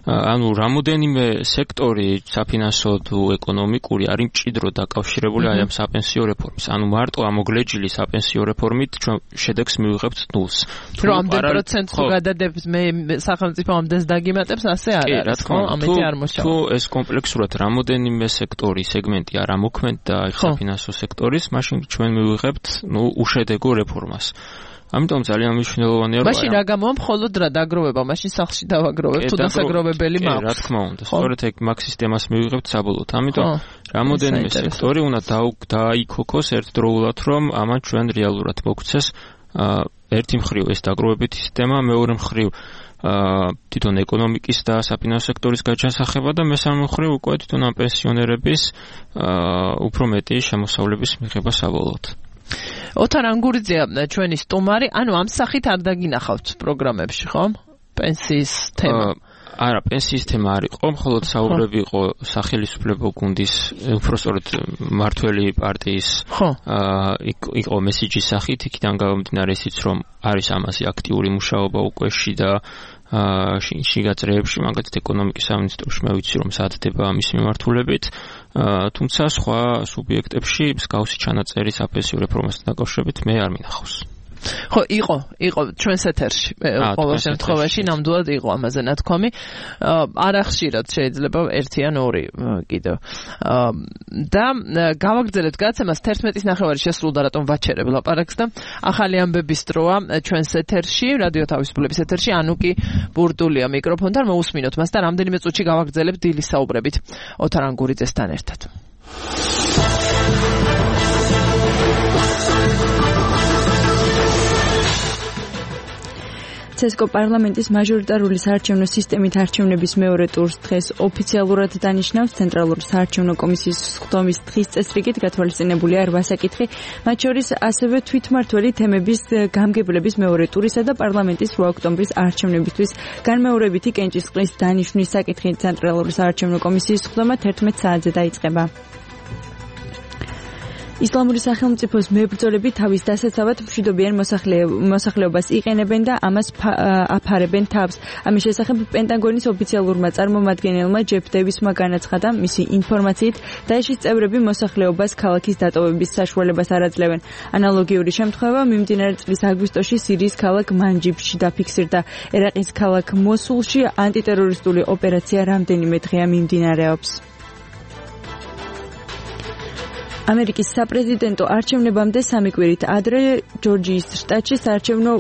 ანუ რამოდენიმე სექტორი საფინანსო თუ ეკონომიკური არის მჭიდროდ დაკავშირებული აი ამ საპენსიო რეფორმის. ანუ მარტო ამ მოგლეჯილი საპენსიო რეფორმით ჩვენ შედეგს მივიღებთ ნულს. რომ ამდენ პროცენტს გადადებს მე სახელმწიფო ამდენს დაგიმატებს, ასე არ არის, ხო? ამეთი არ მოსავალ. თუ ეს კომპლექსურად რამოდენიმე სექტორი, სეგმენტი არ ამოქმედდა აი საფინანსო სექტორის, მაშინ ჩვენ მივიღებთ ნუ უშედეგო რეფორმას. ამიტომ ძალიან მნიშვნელოვანია რომ მაშინ რა გამოვა მხოლოდ რა დაგროვება, მაშინ სახლში დავაგროვებ თუ დასაგროვებელი მაქვს. რა თქმა უნდა, სწორედ ეგ მაგ სისტემას მივიღებთ საბოლოოდ. ამიტომ რამოდენიმე სექტორი უნდა დაიქოქოს ერთდროულად, რომ ამან ჩვენ რეალურად მოგცეს ერთი მხრივ ეს დაგროვებითი სისტემა, მეორე მხრივ თვითონ ეკონომიკის და საფინანსო სექტორის გაჩასახება და მესამე მხრივ უკვე თვითონ ამ პენსიონერების უფრო მეტი შემოსავლების მიღება საბოლოოდ. ოთარ ანგურიძეა ჩვენი სტუმარი, ანუ ამ სახით არ დაგინახავთ პროგრამებში, ხო? პენსიის თემა. არა, პენსიის სისტემა არ იყო, მხოლოდ საუბრები იყო სახელმწიფო გუნდის, უბრალოდ მართველი პარტიის იყო მესიჯის სახით, იქიდან გამომდინარე ისიც, რომ არის ამაზე აქტიური მუშაობა უკვე შიდა შიგა წრეებში, მაგალითად ეკონომიკის სამინისტროში მე ვიცი, რომ სათდება ამის მიმართულებით, თუმცა სხვა სუბიექტებში მსგავსი ჩანაწერი საფენსიო რეფორმასთან დაკავშირებით მე არ მინახავს. ხო, იყო, იყო ჩვენს ეთერში. ყოველ შემთხვევაში ნამდვილად იყო ამაზე ნათქვამი. არა ხშირად შეიძლება ერთი ან ორი კიდევ. და გავაგრძელებთ გადაცემას თერთმეტის ნახევარი შესრულდა, რატომ ვაჩერებ ლაპარაკს და ახალი ამბების დროა ჩვენს ეთერში, რადიო თავისუფლების ეთერში ანუკი ბურდულია მიკროფონთან, მოусმინოთ მას და რამდენიმე წუთში გავაგრძელებთ დილის საუბრებით ოთარ ანგურიძესთან ერთად. ცესკო პარლამენტის მაჟორიტარული საარჩევნო სისტემით არჩევნების მეორე ტურს დღეს ოფიციალურად დანიშნავს. ცენტრალური საარჩევნო კომისიის სხდომის დღის წესრიგით გათვალისწინებულია რვა საკითხი, მათ შორის ასევე თვითმმართველი თემების გამგებლების მეორე ტურისა და პარლამენტის რვა ოქტომბრის არჩევნებისთვის განმეორებითი კენჭისყრის დანიშვნის საკითხი. ცენტრალური საარჩევნო კომისიის სხდომა თერთმეტ საათზე დაიწყება. ისლამური სახელმწიფოს მებრძოლები თავის დასაცავად მშვიდობიან მოსახლეობას იყენებენ და ამას აფარებენ თავს. ამის შესახებ პენტაგონის ოფიციალურმა წარმომადგენელმა ჯეფ დევისმა განაცხადა, მისი ინფორმაციით დაეშის წევრები მოსახლეობას ქალაქის დატოვების საშუალებას არ აძლევენ. ანალოგიური შემთხვევა მიმდინარე წლის აგვისტოში სირიის ქალაქ მანჯიბში დაფიქსირდა. ერაყის ქალაქ მოსულში ანტიტერორისტული ოპერაცია რამდენიმე დღეა მიმდინარეობს. ამერიკის საპრეზიდენტო არჩევნებამდე სამი კვირით ადრე ჯორჯიის შტატში საარჩევნო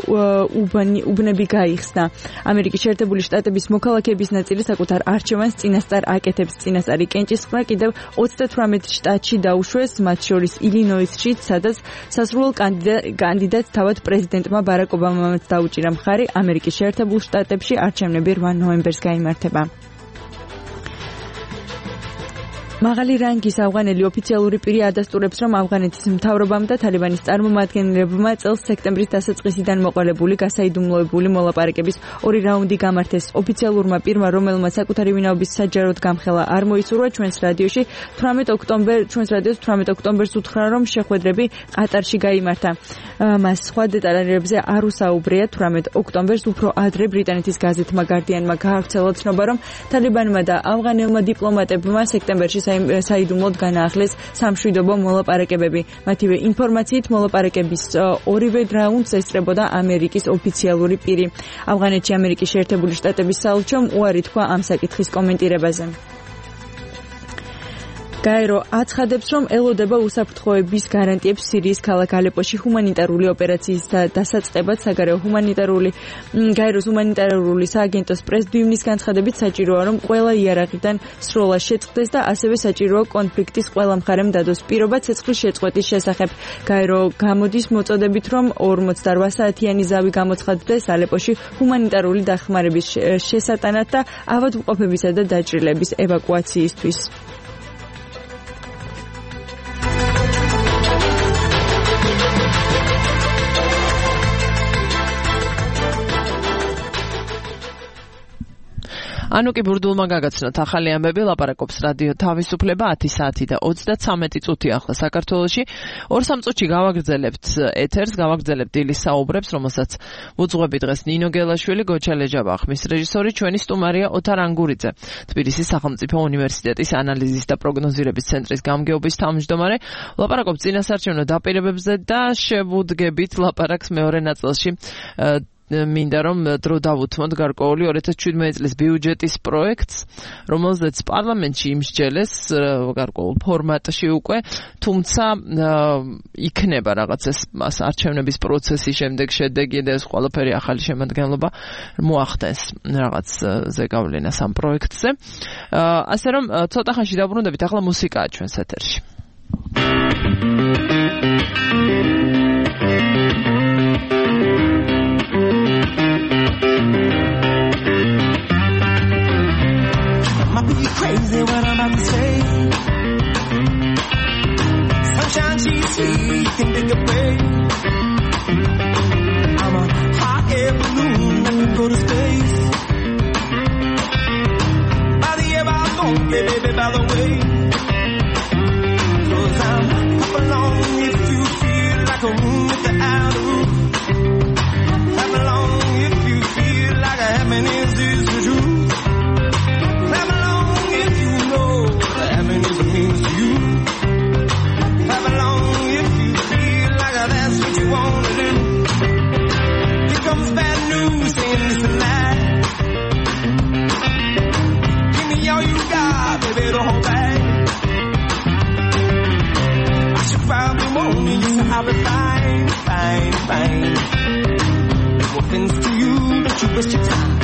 უბნები გაიხსნა. ამერიკის შეერთებული შტატების მოქალაქეების ნაწილი საკუთარ არჩევანს წინასწარ აკეთებს. წინასწარი კენჭისყრა კიდევ ოცდათვრამეტ შტატში დაუშვეს, მათ შორის ილინოისში, სადაც სასურველ კანდიდატს თავად პრეზიდენტმა ბარაკ ობამამაც დაუჭირა მხარი. ამერიკის შეერთებულ შტატებში არჩევნები რვა ნოემბერს გაიმართება. მაღალი რანგის ავღანელი ოფიციალური პირი ადასტურებს, რომ ავღანეთის მთავრობამ და თალიბანის წარმომადგენლებმა წელს სექტემბრის დასაწყისიდან მოყოლებული გასაიდუმლოებული მოლაპარაკების ორი რაუნდი გამართეს. ოფიციალურმა პირმა, რომელმაც საკუთარი ვინაობის საჯაროდ გამხელა არ მოისურვა, ჩვენს რადიოში თვრამეტ ოქტომბერს ჩვენს რადიოს თვრამეტ ოქტომბერს უთხრა, რომ შეხვედრები ყატარში გაიმართა. მას სხვა დეტალებზე არ უსაუბრია. თვრამეტ ოქტომბერს უფრო ადრე ბრიტანეთის გაზეთმა გარდიანმა გაავრცელა ცნობა, რომ თალიბანმა და ავღანელმა დიპლომატებმა სექტემბერში საიდუმლოდ განაახლეს სამშვიდობო მოლაპარაკებები. მათივე ინფორმაციით მოლაპარაკების ორივე რაუნდს ესწრებოდა ამერიკის ოფიციალური პირი. ავღანეთში ამერიკის შეერთებული შტატების საელჩომ უარი თქვა ამ საკითხის კომენტირებაზე. გაერო აცხადებს, რომ ელოდება უსაფრთხოების გარანტიებს სირიის ქალაქ ალეპოში ჰუმანიტარული ოპერაციის დასაწყებად. საგარეო ჰუმანიტარული გაეროს ჰუმანიტარული სააგენტოს პრეზიდიუმის განცხადებით საჭიროა, რომ ყველა იარაღიდან სროლა შეწყდეს და ასევე საჭიროა კონფლიქტის ყველა მხარემ დადოს პირობა ცეცხლის შეწყვეტის შესახებ. გაერო გამოდის მოწოდებით, რომ ორმოცდარვა საათიანი ზავი გამოცხადდეს ალეპოში ჰუმანიტარული დახმარების შესატანად და ავადმყოფებისა და დაჭრილების ევაკუაციისთვის. ანუკი ბურდულმა გაგაცნოთ ახალი ამბები, ლაპარაკობს რადიო თავისუფლება ათი საათი და ოცდათსამეტი წუთი ახლა საქართველოში. ორ სამ წუთში გავაგრძელებთ ეთერს, გავაგრძელებთ დილის საუბრებს, რომელსაც უძღვები დღეს ნინო გელაშვილი, გოჩალე ჯაბახმის რეჟისორი, ჩვენი სტუმარია ოთარ ანგურიძე, თბილისის სახელმწიფო უნივერსიტეტის ანალიზის და პროგნოზირების ცენტრის გამგეობის თავმჯდომარე. ლაპარაკობს წინასაარჩევნო დაპირებებზე და შევუდგებით ლაპარაკს მეორე ნაწილში. მინდა რომ დრო დავუთმოთ გარკვეული ორი ათას შვიდმეტი წლის ბიუჯეტის პროექტს, რომელზეც პარლამენტში იმსჯელეს გარკვეულ ფორმატში უკვე, თუმცა იქნება რაღაც ეს არჩევნების პროცესის შემდეგ შედეგი და ეს ყველაფერი ახალი შემადგენლობა მოახდენს რაღაც ზეგავლენას ამ პროექტზე. ასე რომ ცოტა ხანში დაბრუნდებით, ახლა მუსიკაა ჩვენს ეთერში. Crazy what I'm about to say. Sunshine, she's here, you can take a break. I'm a hot air balloon that can go to space. you want me, yes, I'll be fine, fine, fine. No offense to you, don't you waste your time.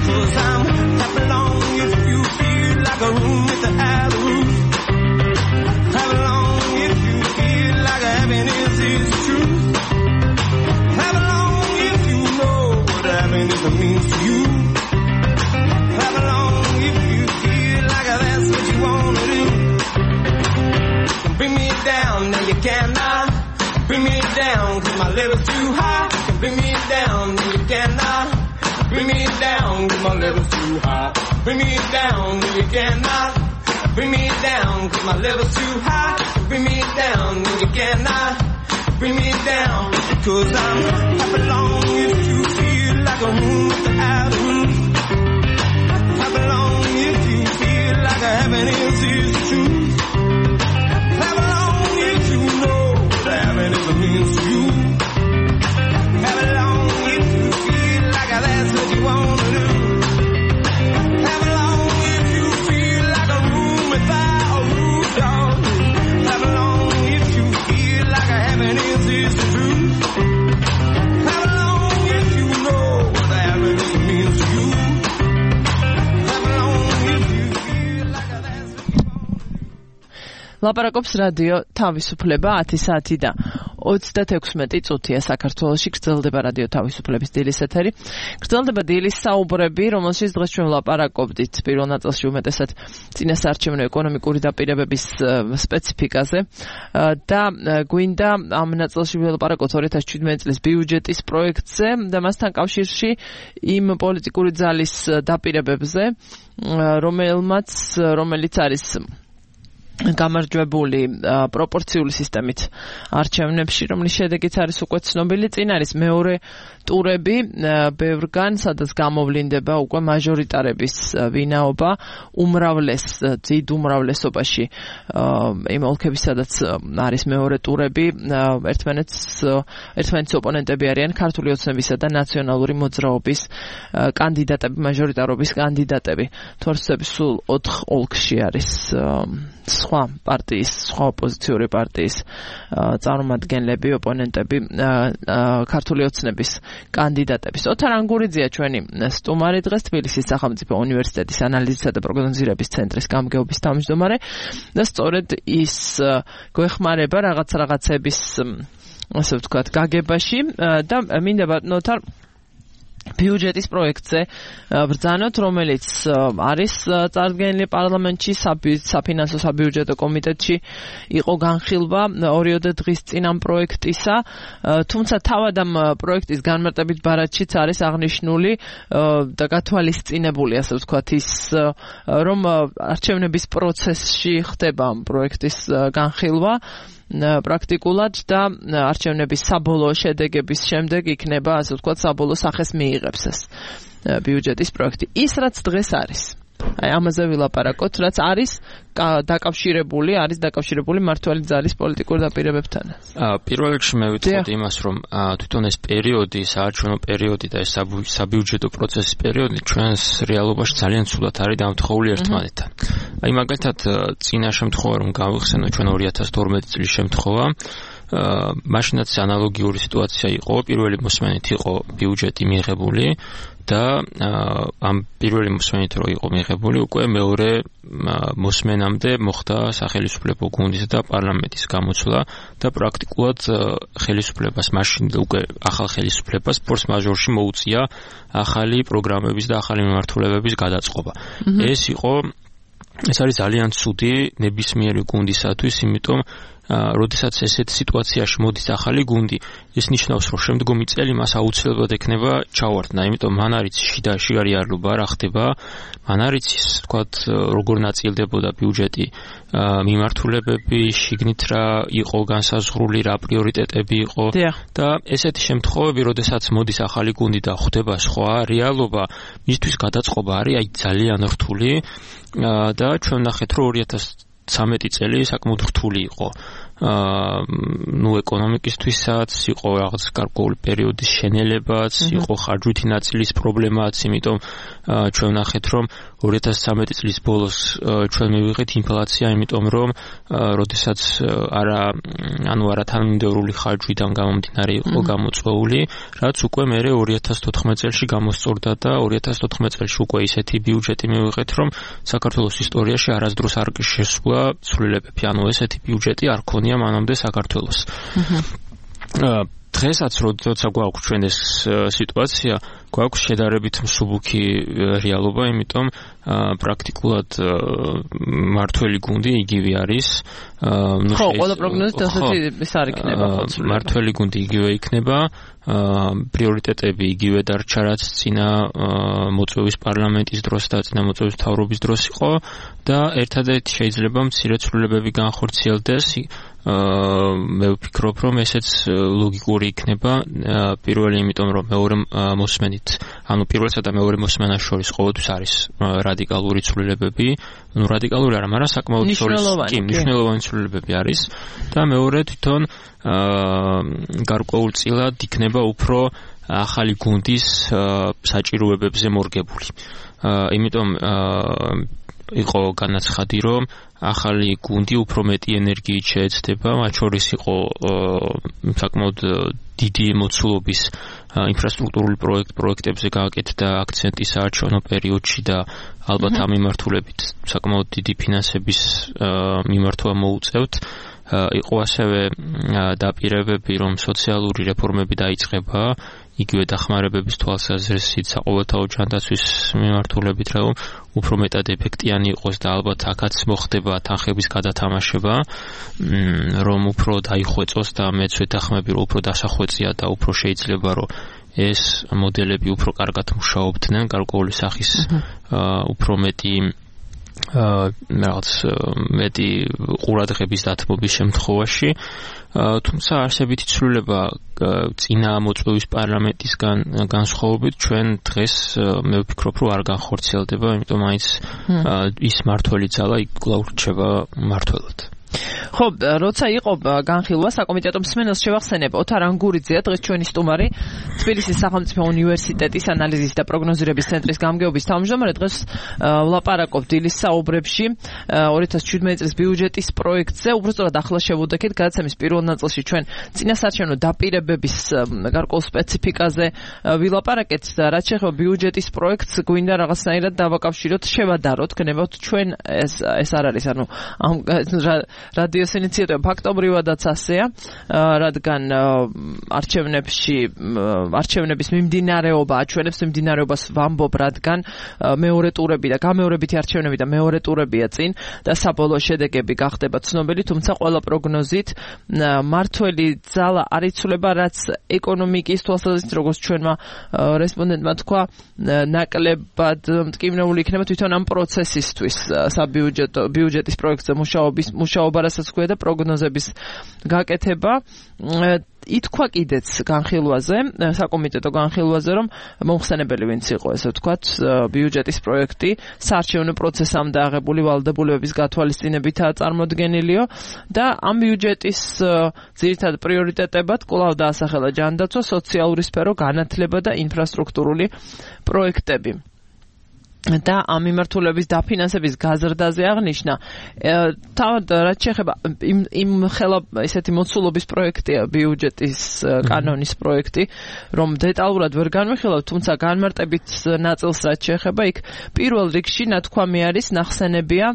Cause I'm happy long if you feel like a room without a roof. Happy long if you feel like happiness is the truth. Happy long if you know what happiness means to you. Happy long if you feel like that's what you wanna do. You can bring me down, now you cannot. Bring me down, cause my level's too high. You can bring me down, now you cannot. Bring me down, cause my level's too high. Bring me down, no you cannot. Bring me down, cause my level's too high. Bring me down, no you cannot. Bring me down, cause I'm happy long if you feel like a room without a roof. Happy long if you feel like a happiness is the truth. Happy long if you know what happiness means to you. Happy long if you feel like that's what you wanna do. Happy long if you feel like a room without a roof, dog. Happy long if you feel like a happiness is the truth. Happy long if you know what happiness means to you. Happy long if you feel like that's what you want. ლაპარაკობს რადიო თავისუფლება ათი საათი და ოცდათექვსმეტი წუთია საქართველოში. გრძელდება რადიო თავისუფლების დილის ეთერი. გრძელდება დილის საუბრები, რომელშიც დღეს ჩვენ ვლაპარაკობდით პირველ ნაწილში უმეტესად წინასაარჩევნო ეკონომიკური დაპირებების სპეციფიკაზე და გვინდა ამ ნაწილში ვლაპარაკოთ ორი ათას შვიდმეტი წლის ბიუჯეტის პროექტზე და მასთან კავშირში იმ პოლიტიკური ძალის დაპირებებზე, რომელმაც რომელიც არის გამარჯვებული პროპორციული სისტემით არჩევნებში, რომლის შედეგიც არის უკვე ცნობილი. წინ არის მეორე ტურები ბევრგან, სადაც გამოვლინდება უკვე მაჟორიტარების ვინაობა უმრავლეს დიდ უმრავლესობაში იმ ოლქების, სადაც არის მეორე ტურები, ერთმანეთს ერთმანეთის ოპონენტები არიან ქართული ოცნებისა და ნაციონალური მოძრაობის კანდიდატები, მაჟორიტარობის კანდიდატები. თორსების სულ ოთხ ოლქში არის სხვა პარტიის, სხვა ოპოზიციური პარტიის წარმომადგენლები, ოპონენტები, ქართული ოცნების კანდიდატების. ოთარ ანგურიძეა ჩვენი სტუმარი დღეს, თბილისის სახელმწიფო უნივერსიტეტის ანალიზისა და პროგნოზირების ცენტრის გამგეობის თავმჯდომარე და სწორედ ის გვეხმარება რაღაც რაღაცების, ასე ვთქვათ, გაგებაში და მინდა ბატონო ოთარ ბიუჯეტის პროექტზე ბრძანოთ, რომელიც არის წარდგენილი პარლამენტში, საფინანსო საბიუჯეტო კომიტეტში იყო განხილვა ორიოდე დღის წინ ამ პროექტისა, თუმცა თავად ამ პროექტის განმარტებით ბარათშიც არის აღნიშნული და გათვალისწინებული, ასე ვთქვათ, ის რომ არჩევნების პროცესში ხდება ამ პროექტის განხილვა პრაქტიკულად და არჩევნების საბოლოო შედეგების შემდეგ იქნება, ასე ვთქვათ, საბოლოო სახეს მიიღებს ეს ბიუჯეტის პროექტი. ის რაც დღეს არის, აი ამაზე ვილაპარაკოთ, რაც არის დაკავშირებული, არის დაკავშირებული მართალი ძალის პოლიტიკურ დაპირებებთან. პირველ რიგში მე ვიტყოდი იმას, რომ თვითონ ეს პერიოდი, საარჩევნო პერიოდი და ეს საბიუჯეტო პროცესის პერიოდი ჩვენს რეალობაში ძალიან ცუდად არის დამთხოვილი ერთმანეთთან. აი მაგალითად, წინა შემთხვევა რომ გავიხსენო ჩვენ ორი ათას თორმეტი წლის შემთხვევა, მაშინაც ანალოგიური სიტუაცია იყო, პირველი მოსმენით იყო ბიუჯეტი მიღებული და ამ პირველი მოსმენით რო იყო მიღებული, უკვე მეორე მოსმენამდე მოხდა სახელმწიფო გუნდის და პარლამენტის გამოცვლა და პრაქტიკულად ხელისუფლებას მაშინ უკვე ახალ ხელისუფლებას ფორს მაჟორში მოუწია ახალი პროგრამების და ახალი მიმართულებების გადაწყობა. ეს იყო ეს არის ძალიან ცუდი ნებისმიერი გუნდისათვის, იმიტომ როდესაც ესეთ სიტუაციაში მოდის ახალი გუნდი, ეს ნიშნავს, რომ შემდგომი წელი მას აუცილებლად ექნება ჩავარდნა, იმიტომ მან არის შიდა შიგარიარლობა რა ხდება, მან არის ის, თქვათ, როგორ ნაწილდებოდა ბიუჯეტი, მიმართულებები, შიგნით რა იყო განსაზღვრული, რა პრიორიტეტები იყო და ესეთი შემთხვევები, როდესაც მოდის ახალი გუნდი და ხდება სხვა რეალობა, მისთვის გადაწყობა არის აი ძალიან რთული და ჩვენ ნახეთ, რომ ორი ათას ცამეტი წელი საკმაოდ რთული იყო აა ნუ ეკონომიკისთვისაც, იყო რაღაც გარკვეული პერიოდის შენელებაც, იყო ხარჯვითი ნაწილის პრობლემაც, იმიტომ ჩვენ ვნახეთ, რომ ორი ათას ცხრამეტი წლის ბოლოს ჩვენ მივიღეთ ინფლაცია, იმიტომ რომ როდესაც არა ანუ არა თანმიმდევრული ხარჯვიდან გამომდინარე იყო გამოწვეული, რაც უკვე მერე ორი ათას თოთხმეტ წელს გამოსწორდა და ორი ათას თოთხმეტ წელს უკვე ისეთი ბიუჯეტი მივიღეთ, რომ საქართველოს ისტორიაში არასდროს არ შესულა ცვლილებები, ანუ ესეთი ბიუჯეტი არ ქონია მანამდე საქართველოს. დღესაც როცა გვაქვს ჩვენ ეს სიტუაცია, გვაქვს შედარებით მსუბუქი რეალობა, იმიტომ პრაქტიკულად მართველი გუნდი იგივე არის. ხო, ყველა პროგნოზით ასეთი ის არ იქნება ხო? მართველი გუნდი იგივე იქნება, პრიორიტეტები იგივე დარჩა, რაც წინა მოწვევის პარლამენტის დროს და წინა მოწვევის მთავრობის დროს იყო და ერთადერთი შეიძლება მცირე ცვლილებები განხორციელდეს. მე ვფიქრობ, რომ ესეც ლოგიკური იქნება. პირველი, იმიტომ რომ მეორე მოსმენით, ანუ პირველსა და მეორე მოსმენას შორის ყოველთვის არის რადიკალური ცვლილებები, ну რადიკალური არა, მაგრამ საკმაოდ კი, მნიშვნელოვანი ცვლილებები არის და მეორე თვითონ გარკვეულწილად იქნება უფრო ახალი გუნდის საჭიროებებზე მორგებული. იმიტომ იყო განაცხადი, რომ ახალი გუნდი უფრო მეტი ენერგიით შეეცდება, მათ შორის იყო საკმაოდ დიდი მოცულობის ინფრასტრუქტურული პროექტ პროექტებზე გააკეთდა აქცენტი საარჩევნო პერიოდში და ალბათ ამ მიმართულებით საკმაოდ დიდი ფინანსების მიმართვა მოუწევთ. იყო ასევე დაპირებები, რომ სოციალური რეფორმები დაიწყება, იგივე დახმარებების თვალსაზრისით საყოველთაო ჯანდაცვის მიმართულებით, რომ უფრო მეტად ეფექტიანი იყოს და ალბათ აქაც მოხდება თანხების გადათამაშება, რომ უფრო დაიხვეწოს და მეც ვეთანხმები, რომ უფრო დასახვეწია და უფრო შეიძლება, რომ ეს მოდელები უფრო კარგად მუშაობდნენ, გარკვეული სახის უფრო მეტი რაღაც მეტი ყურადღების დათმობის შემთხვევაში, თუმცა არსებითი ცვლილება წინა მოწვევის პარლამენტისგან განსხვავებით ჩვენ დღეს მე ვფიქრობ, რომ არ განხორციელდება, იმიტომ მაინც ის მართველი ძალა იქ კვლავ რჩება მართველად. ხო, როცა იყო განხილვა საკომიტეტო მსმენელს შევახსენებ, ოთარ ანგურიძეა დღეს ჩვენი სტუმარი, თბილისის სახელმწიფო უნივერსიტეტის ანალიზის და პროგნოზირების ცენტრის გამგეობის თავმჯდომარე. დღეს ვლაპარაკობთ დილის საუბრებში ორი ათას შვიდმეტი წლის ბიუჯეტის პროექტზე. უბრალოდ ახლა შევუდექით გადაცემის პირველ ნაწილში ჩვენ წინასაარჩევნო დაპირებების გარკვეულ სპეციფიკაზე ვილაპარაკეთ. რაც შეეხება ბიუჯეტის პროექტს, გვინდა რაღაცნაირად დავაკავშიროთ, შევადაროთ, გნებავთ ჩვენ ეს ეს არ არის, ანუ ამ რადიოს ინიციატივა ფაქტობრივადაც ასეა, რადგან არჩევნებში არჩევნების მიმდინარეობა აჩვენებს მიმდინარეობას ვამბობ, რადგან მეორე ტურები და გამეორებითი არჩევნები და მეორე ტურებია წინ და საბოლოო შედეგები გახდება ცნობილი, თუმცა ყველა პროგნოზით მართველი ძალა არ იცვლება, რაც ეკონომიკის თვალსაზრისით, როგორც ჩვენმა რესპონდენტმა თქვა, ნაკლებად მტკივნეული იქნება თვითონ ამ პროცესისთვის საბიუჯეტო ბიუჯეტის პროექტზე მუშაობის მუშაობა, რასაც ქვია და პროგნოზების გაკეთება. ითქვა კიდეც განხილვაზე, საკომიტეტო განხილვაზე, რომ მომხსენებელი ვინც იყო, ესე ვთქვათ, ბიუჯეტის პროექტი საარჩევნო პროცესამდე აღებული ვალდებულებების გათვალისწინებითაა წარმოდგენილიო და ამ ბიუჯეტის ძირითად პრიორიტეტებად კვლავ დაასახელა ჯანდაცვა, სოციალური სფერო, განათლება და ინფრასტრუქტურული პროექტები. და ამ მიმართულების დაფინანსების გაზრდაზე აღნიშნა. თავად რაც შეეხება იმ იმ ხელა ესეთი მოცულობის პროექტია ბიუჯეტის კანონის პროექტი, რომ დეტალურად ვერ განვიხილავ, თუმცა განმარტებით ნაწილს რაც შეეხება, იქ პირველ რიგში ნათქვამი არის, ნახსენებია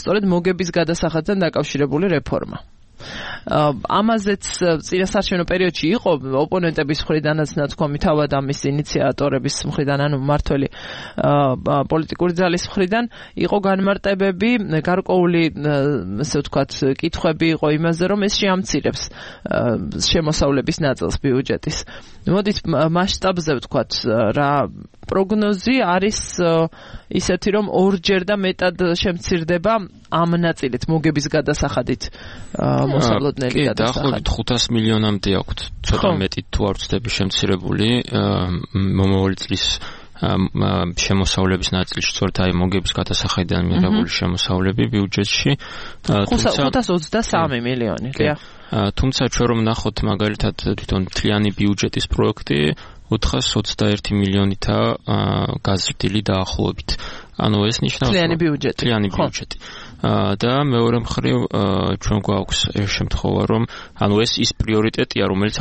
სწორედ მოგების გადასახადთან დაკავშირებული რეფორმა. ამაზეც წინასაარჩევნო პერიოდში იყო ოპონენტების მხრიდანაც ნათქვამი, თავად ამის ინიციატორების მხრიდან, ანუ მართველი პოლიტიკური ძალის მხრიდან იყო განმარტებები, გარკვეული ესე ვთქვათ კითხვები იყო იმაზე, რომ ეს შეამცირებს შემოსავლების ნაწილს ბიუჯეტის. მოდით მასშტაბზე ვთქვათ, რა პროგნოზი არის ისეთი, რომ ორჯერ და მეტად შემცირდება ამ ნაწილით მოგების გადასახადით მოსავლოდნელი გადასახადი. კი, დაახლოებით ხუთას მილიონამდე აქვთ, ცოტა მეტი თუ არ ვცდები შემცირებული მომავალი წლის შემოსავლების ნაწილში სწორედ აი მოგების გადასახედიდან მიღებული შემოსავლები ბიუჯეტში ხუთას ოცდასამი მილიონი დიახ თუმცა ჩვენ რომ ნახოთ მაგალითად თვითონ მთლიანი ბიუჯეტის პროექტი ოთხას ოცდაერთი მილიონითაა გაზრდილი დაახლოებით ანუ ეს ნიშნავს მთლიანი ბიუჯეტი მთლიანი ბიუჯეტი და მეორე მხრივ ჩვენ გვაქვს შემთხვევა რომ ანუ ეს ის პრიორიტეტია რომელიც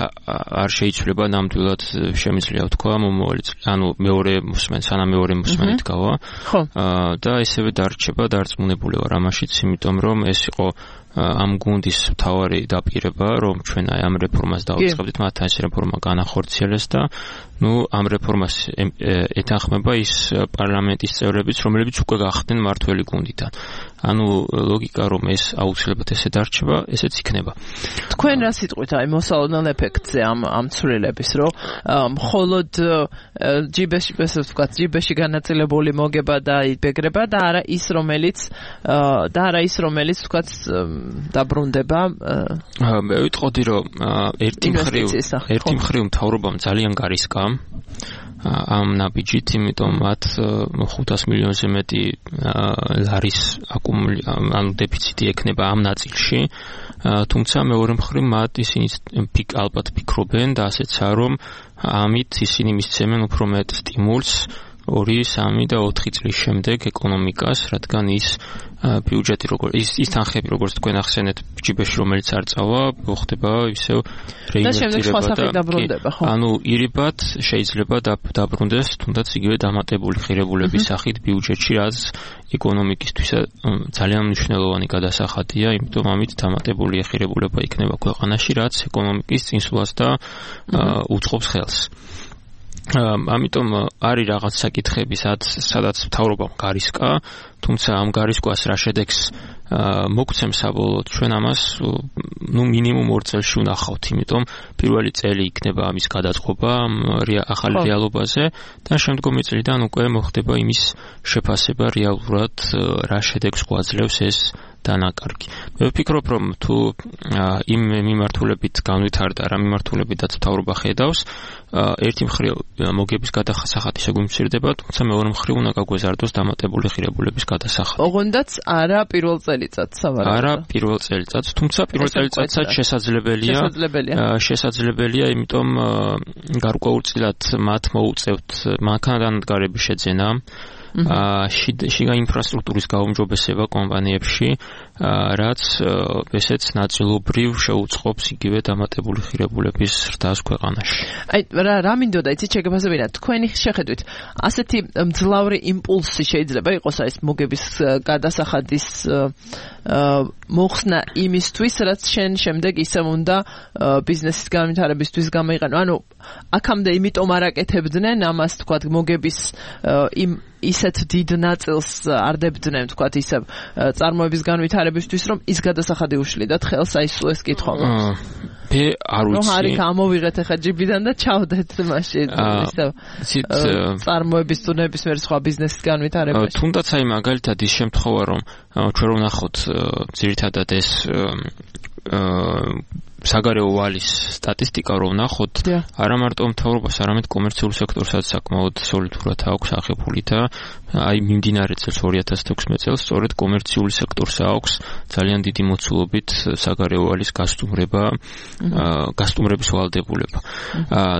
არ შეიცვლება ნამდვილად შემიძლია ვთქვა მომავალი ანუ მეორე მოსმენ სანამ მეორე მოსმენით გავა და ესევე დარჩება დარწმუნებული ვარ ამაშიც იმიტომ რომ ეს იყო ამ გუნდის მთავარი დაპირება რომ ჩვენ აი ამ რეფორმას დავიწყებდით მათთან ეს რეფორმა განახორციელეს და ну ამ რეფორმას ეთანხმება ის პარლამენტის წევრებიც რომლებიც უკვე გახდნენ მართველი გუნდიდან ანუ ლოგიკა რომ ეს აუცილებლად ესე დარჩება ესეც იქნება თქვენ რა სიტყვით აი მოსალოდნელ ეფექტზე ამ ამ ცვლილების რომ მხოლოდ ჯიბეში ესე ვთქვათ ჯიბეში განაწილებული მოგება და იბეგრება და არა ის რომელიც და არა ის რომელიც ვთქვათ დაბრუნდება მე ვიტყოდი რომ ერთი მხრივ ერთი მხრივ მთავრობამ ძალიან გარისკა ამ ნაბიჯით იმიტომ მათ ხუთას მილიონზე მეტი ლარის აკუმული ანუ დეფიციტი ექნება ამ ნაწილში თუმცა მეორე მხრივ მათ ისინი პიკ ალბათ ფიქრობენ და ასეცაა რომ ამით ისინი მისცემენ უფრო მეტ სტიმულს ორი, სამი და ოთხი წლის შემდეგ ეკონომიკას, რადგან ის ბიუჯეტი როგორ ის ის თანხები როგორც თქვენ ახსენეთ ჯიბეში რომელიც არ წავა, ხდება ისევ რეინვესტირება და ანუ ირიბად შეიძლება დაბრუნდეს თუნდაც იგივე დამატებული ღირებულების სახით ბიუჯეტში, რაც ეკონომიკისთვის ძალიან მნიშვნელოვანი გადასახადია, იმიტომ ამით დამატებული ღირებულება იქნება ქვეყანაში, რაც ეკონომიკის წინსვლას და უწყობს ხელს. ამიტომ არის რაღაც საკითხები, სადაც მთავრობამ გარისკა, თუმცა ამ გარისკვას რა შედეგს მოგცემს საბოლოოდ ჩვენ ამას ნუ მინიმუმ ორ წელში ვნახავთ, იმიტომ პირველი წელი იქნება ამის გადაწყობა ახალი რეალობაზე და შემდგომი წლიდან უკვე მოხდება იმის შეფასება რეალურად რა შედეგს გვაძლევს ეს დანაკარგი. მე ვფიქრობ, რომ თუ იმ მიმართულებით განვითარდა რა მიმართულებითაც მთავრობა ხედავს, ერთი მხრივ მოგების გადასახადი შეგვიმცირდება, თუმცა მეორე მხრივ უნდა გაგვეზარდოს დამატებული ღირებულების გადასახადი. ოღონდაც არა პირველ წელიწადს სავარაუდოდ. არა პირველ წელიწადს, თუმცა პირველ წელიწადსაც შესაძლებელია. შესაძლებელია. შესაძლებელია, იმიტომ გარკვეულწილად მათ მოუწევთ მანქანადანადგარების შეძენა. შიგა ინფრასტრუქტურის გაუმჯობესება კომპანიებში, რაც ესეც ნაწილობრივ შეუწყობს იგივე დამატებული ღირებულების ზრდას ქვეყანაში. აი რა რა მინდოდა იცით შეგეფასებინა თქვენი შეხედვით ასეთი მძლავრი იმპულსი შეიძლება იყოს ეს მოგების გადასახადის მოხსნა იმისთვის, რაც შენ შემდეგ ისევ უნდა ბიზნესის განვითარებისთვის გამოიყენო. ანუ აქამდე იმიტომ არ აკეთებდნენ ამას თქვათ მოგების იმ ისეთ დიდ ნაწილს არ დებდნენ თქვათ ისევ წარმოების განვითარებისთვის, რომ ის გადასახადი უშლიდათ ხელს აი სულ ეს კითხვა. მე არ ვიცი. რომ არის გამოვიღეთ ახლა ჯიბიდან და ჩავდეთ მაშინ ისევ წარმოების თუ ნებისმიერ სხვა ბიზნესის განვითარებაში. თუნდაც აი მაგალითად ის შემთხვევა რომ ჩვენ რომ ნახოთ ძირითადად ეს საგარეო ვალის სტატისტიკა რომ ნახოთ, არა მარტო მთავრობას, არამედ კომერციულ სექტორსაც საკმაოდ სოლიდურად აქვს აღებული და აი მიმდინარე წელს ორი ათას თექვსმეტ წელს სწორედ კომერციული სექტორს აქვს ძალიან დიდი მოცულობით საგარეო ვალის გასტუმრება, გასტუმრების ვალდებულება.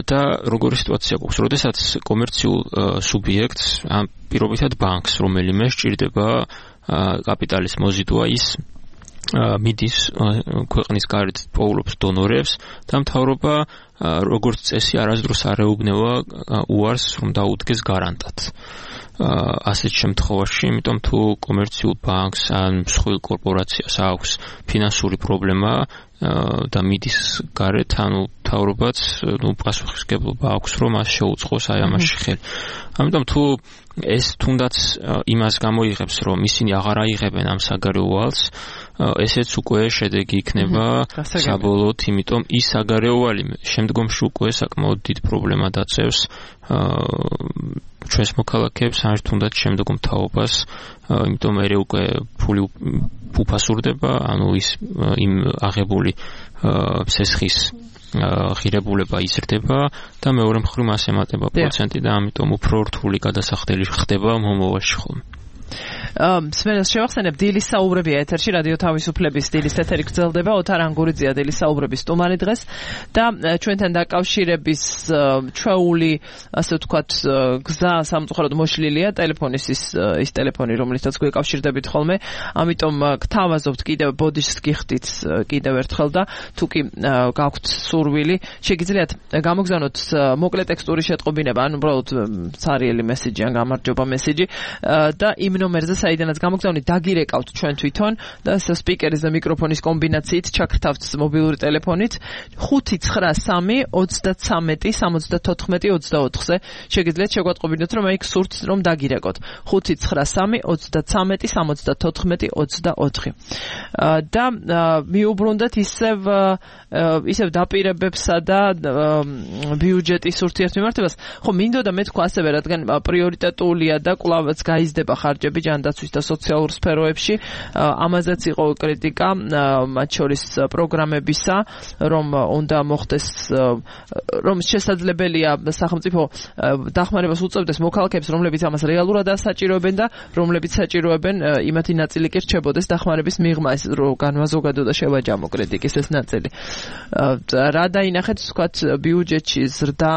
და როგორი სიტუაცია გვაქვს, როდესაც კომერციულ სუბიექტს, პირობითად ბანკს, რომელიმე სჭირდება კაპიტალის მოზიდვა ის მიდის ქვეყნის გარეთ პოულობს დონორებს და მთავრობა როგორც წესი არასდროს არ ეუბნება უარს რომ დაუდგეს გარანტად. ასეთ შემთხვევაში, იმიტომ თუ კომერციულ ბანკს ან მსხვილ კორპორაციას აქვს ფინანსური პრობლემა და მიდის გარეთ, ანუ მთავრობაც ნუ პასუხისმგებლობა აქვს რომ მას შეუწყოს აი ამაში ხელი. ამიტომ თუ ეს თუნდაც იმას გამოიღებს, რომ ისინი აღარ აიღებენ ამ საგარეო ვალს, ესეც უკვე შედეგი იქნება საბოლოოდ, იმიტომ ის საგარეო ვალი შემდგომში უკვე საკმაოდ დიდ პრობლემა დაწევს ჩვენს მოქალაქეებს, ან თუნდაც შემდგომ მთავრობას, იმიტომ მე უკვე ფული უფასურდება, ანუ ის იმ აღებული სესხის ღირებულება იზრდება და მეორე მხრივ მას ემატება პროცენტი და ამიტომ უფრო რთული გადასახდელი ხდება მომავალში ხოლმე. სმენელს შევახსენებ დილის საუბრებია ეთერში რადიო თავისუფლების დილის ეთერი გრძელდება ოთარ ანგურიძეა დილის საუბრების სტუმარი დღეს და ჩვენთან დაკავშირების ჩვეული ასე ვთქვათ გზა სამწუხაროდ მოშლილია ტელეფონის ის ის ტელეფონი რომლითაც გვეკავშირდებით ხოლმე ამიტომ გთავაზობთ კიდევ ბოდიშს გიხდით კიდევ ერთხელ და თუ კი გაქვთ სურვილი შეგიძლიათ გამოგზავნოთ მოკლე ტექსტური შეტყობინება ან უბრალოდ ცარიელი მესიჯი ან გამარჯობა მესიჯი და იმ ნომერზე საიდანაც გამოგზავნით დაგირეკავთ ჩვენ თვითონ და სპიკერის და მიკროფონის კომბინაციით ჩაქრთავთ მობილური ტელეფონით ხუთი ცხრა სამი ოცდათსამეტი სამოცდათოთხმეტი ოცდაოთხზე შეგიძლიათ შეგვატყობინოთ რომ იქ სურთ რომ დაგირეკოთ ხუთი ცხრა სამი ოცდათსამეტი სამოცდათოთხმეტი ოცდაოთხი და მიუბრუნდეთ ისევ ისევ დაპირებებსა და ბიუჯეტის ურთიერთმემართებას ხო მინდოდა მე თქვა ასევე რადგან პრიორიტეტულია და კვლავაც გაიზრდება ხარჯები ჯანდაცვის და სოციალურ სფეროებში ამაზეც იყო კრიტიკა მათ შორის პროგრამებისა რომ უნდა მოხდეს რომ შესაძლებელია სახელმწიფო დახმარებას უწევდეს მოქალაქეებს რომლებიც ამას რეალურად ასაჭიროებენ და რომლებიც საჭიროებენ იმათი ნაწილი კი რჩებოდეს დახმარების მიღმა ეს რო განვაზოგადო და შევაჯამო კრიტიკის ეს ნაწილი რა დაინახეთ თქვათ ბიუჯეტში ზრდა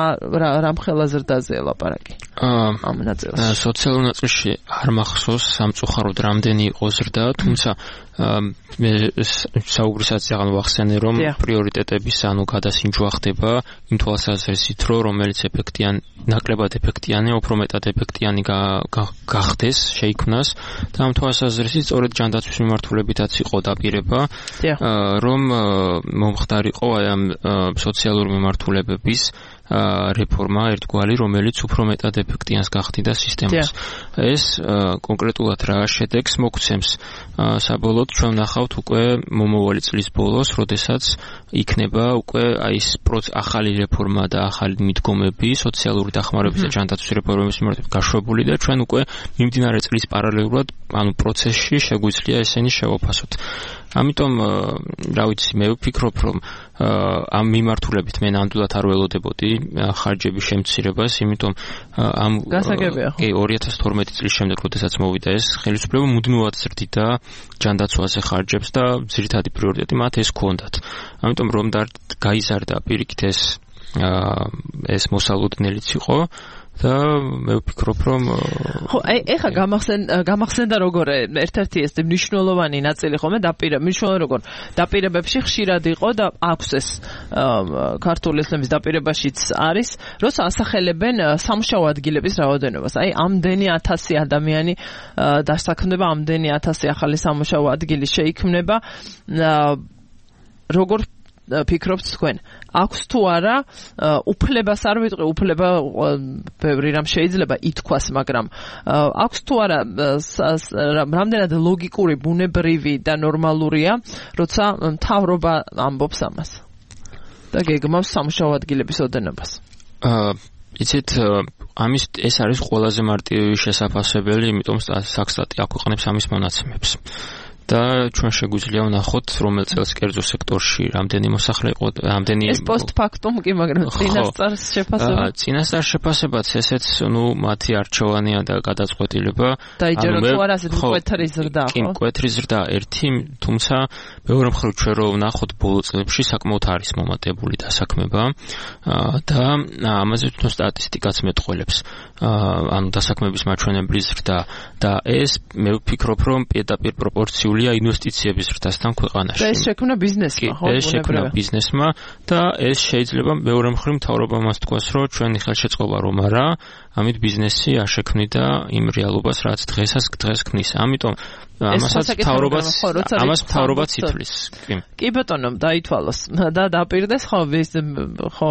რამხელა ზრდაზე ლაპარაკი ამ ნაწილში სოციალურ ნაწილში არ მახსოვს სამწუხაროდ რამდენი იყო ზრდა თუმცა მე საუბრისაც აღარ ვახსენე რომ პრიორიტეტების ანუ გადასინჯვა ხდება იმ თვალსაზრისით რომ რომელიც ეფექტიანი ნაკლებად ეფექტიანი უფრო მეტად ეფექტიანი გახდეს შეიქმნას და ამ თვალსაზრისით სწორედ ჯანდაცვის მიმართულებითაც იყო დაპირება რომ მომხდარიყო აი ამ სოციალური მიმართულებების რეფორმა ერთგვარი რომელიც უფრო მეტად ეფექტიანს გახდიდა სისტემას ეს კონკრეტულად რა შედეგს მოგცემს საბოლოოდ ჩვენ ვნახავთ უკვე მომავალი წლის ბოლოს როდესაც იქნება უკვე აი ეს ახალი რეფორმა და ახალი მიდგომები სოციალური დახმარების და ჯანდაცვის რეფორმების მიმართ გაშვებული და ჩვენ უკვე მიმდინარე წლის პარალელურად ანუ პროცესში შეგვიძლია ესენი შევაფასოთ ამიტომ რა ვიცი მე ვფიქრობ რომ ამ მიმართულებით მე ნამდვილად არ ველოდებოდი ხარჯების შემცირებას იმიტომ ამ კი ორი ათას თორმეტი წლის შემდეგ როდესაც მოვიდა ეს ხელისუფლება მუდმივად ზრდიდა ჯანდაცვაზე ხარჯებს და ძირითადი პრიორიტეტი მათ ეს ჰქონდათ ამიტომ რომ გაიზარდა პირიქით ეს ეს მოსალოდნელიც იყო და მე ვფიქრობ რომ ხო აი ეხა გამახსენდა როგორ ერთ-ერთი ეს მნიშვნელოვანი ნაწილი ხოლმე დაპირება მნიშვნელოვანი როგორ დაპირებებში ხშირად იყო და აქვს ეს ქართული ესლამის დაპირებაშიც არის როცა ასახელებენ სამუშაო ადგილების რაოდენობას აი ამდენი ათასი ადამიანი დასაქმდება ამდენი ათასი ახალი სამუშაო ადგილი შეიქმნება როგორ ფიქრობთ თქვენ აქვს თუ არა უფლებას არ ვიტყვი უფლება ბევრი რამ შეიძლება ითქვას მაგრამ აქვს თუ არა რამდენად ლოგიკური ბუნებრივი და ნორმალურია როცა მთავრობა ამბობს ამას და გეგმავს სამუშაო ადგილების ოდენობას იცით ამის ეს არის ყველაზე მარტივი შესაძლებელი იმიტომ საქსტატი აქვეყნებს ამის მონაცემებს და ჩვენ შეგვიძლია ვნახოთ რომელ წელს კერძო სექტორში რამდენი მოსახლე იყო რამდენი ეს პოსტფაქტუმ კი მაგრამ წინასწარ შეფასება წინასწარ შეფასებაც ესეც ნუ მათი არჩევანია და გადაწყვეტილება დაიჯერო თუ არა ასეთი მკვეთრი ზრდა ხო მკვეთრი ზრდა ერთი თუმცა მეორე მხრივ ჩვენ რო ვნახოთ ბოლო წლებში საკმაოდ არის მომატებული დასაქმება და ამაზე თვითონ სტატისტიკაც მეტყველებს ანუ დასაქმების მაჩვენებლის ზრდა და ეს მე ვფიქრობ რომ პირდაპირ პროპორციულია ინვესტიციების ზრდასთან ქვეყანაში. და ეს შექმნა ბიზნესმა, ხო? ეს შექმნა ბიზნესმა და ეს შეიძლება მეორე მხრივ მთავრობა მას თქვას, რომ ჩვენი ხელშეწყობა რომ არა, ამით ბიზნესი არ შექმნიდა იმ რეალობას, რაც დღესაც დღეს ქმნის. ამიტომ ამასაც მთავრობაც ამას მთავრობაც ითვლის. კი. კი ბატონო, დაითვალოს და დაპირდეს ხო ეს ხო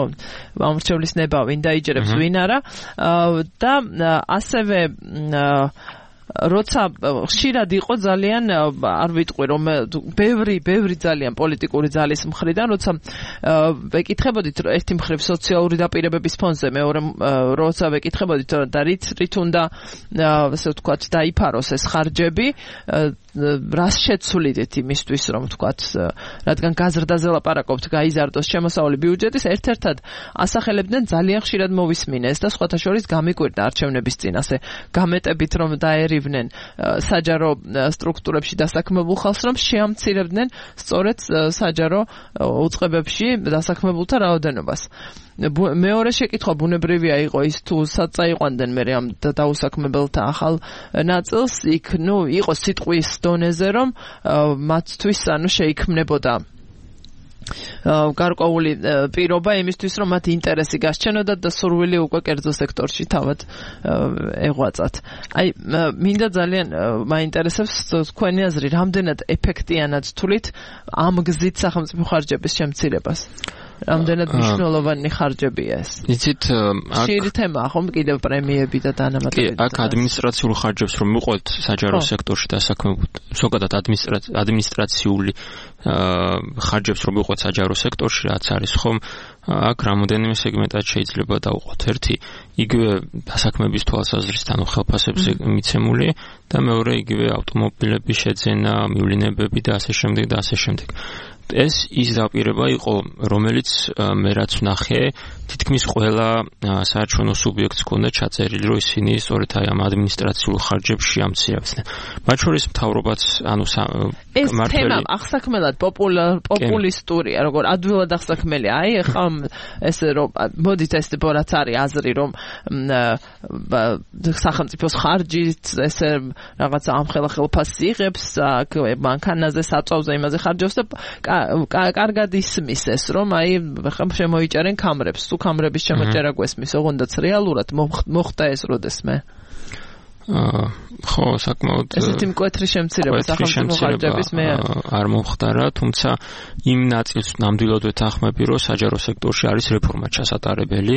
ამრჩევლის ნება ვინ დაიჯერებს ვინ არა და ასევე როცა ხშირად იყო ძალიან არ ვიტყვი რომ ბევრი ბევრი ძალიან პოლიტიკური ძალის მხრიდან როცა ვეკითხებოდით ერთი მხრივ სოციალური დაპირებების ფონდზე მეორე როცა ვეკითხებოდით და რით რით უნდა ასე ვთქვათ დაიფაროს ეს ხარჯები რას შეცვლიდით იმისთვის რომ თქვათ რადგან გაზრდაზე ლაპარაკობთ გაიზარდოს შემოსავალი ბიუჯეტის ერთ-ერთად ასახელებდნენ ძალიან ხშირად მოვისმინეს და სხვათა შორის გამიკვირდა არჩევნების წინასე გამეტებით რომ დაერივნენ საჯარო სტრუქტურებში დასაქმებულ ხალხს რომ შეამცირებდნენ სწორედ საჯარო უწყებებში დასაქმებულთა რაოდენობას. მეორე შეკითხვა ბუნებრივია იყო ის თუ საწაიყვანდნენ მე ამ დაუსაქმებელთა ახალ ნაწილს იქ ნუ იყო სიტყვის დონეზე რომ მათთვის ანუ შეიქმნებოდა გარკვეული პირობა იმისთვის რომ მათ ინტერესი გასჩენოდათ და სურვილი უკვე კერძო სექტორში თავად ეღვაწათ. აი მინდა ძალიან მაინტერესებს თქვენი აზრი რამდენად ეფექტიანად თვლით ამ გზით სახელმწიფო ხარჯების შემცირებას. რამდენად მნიშვნელოვანი ხარჯებია ეს. იცით ხშირი თემაა ხომ კიდევ პრემიები და დანამატებები. კი, აქ ადმინისტრაციულ ხარჯებს რომ მივყვეთ საჯარო სექტორში დასაქმებულ, ზოგადად ადმინისტრაციული ხარჯებს რომ მივყვეთ საჯარო სექტორში, რაც არის ხომ აქ რამოდენიმე სეგმენტად შეიძლება დავუყვოთ. ერთი, იგივე დასაქმების თვალსაზრისით, ანუ ხელფასებზე მიცემული და მეორე იგივე ავტომობილების შეძენა, მივლინებები და ასე შემდეგ და ასე შემდეგ. ეს ის დაპირება იყო, რომელიც მე რაც ვნახე, თითქმის ყველა საარჩევნო სუბიექტს ჰქონდა ჩაწერილი, რომ ისინი სწორედ აი ამ ადმინისტრაციულ ხარჯებს შეამცირებდნენ. მათ შორის მთავრობაც, ანუ ეს თემა აღსაქმელად პოპულისტურია, როგორ ადვილად აღსაქმელი. აი ახლა ესე რომ მოდით ეს რაც არის აზრი, რომ სახელმწიფოს ხარჯით ესე რაღაცა ამ ხელახელფასს იღებს, მანქანაზე, საწვავზე, იმაზე ხარჯობს და კარგად ისმის ეს რომ აი შემოიჭერენ კამრებს თუ კამრების შემოჭერა გვესმის ოღონდაც რეალურად მოხდა ეს როდესმე აა ხო საკმაოდ ესეთი მკვეთრი შემცირება სახელმწიფო ხარჯების მე არ მომხდარა თუმცა იმ ნაწილს ნამდვილად ვეთანხმები რომ საჯარო სექტორში არის რეფორმა ჩასატარებელი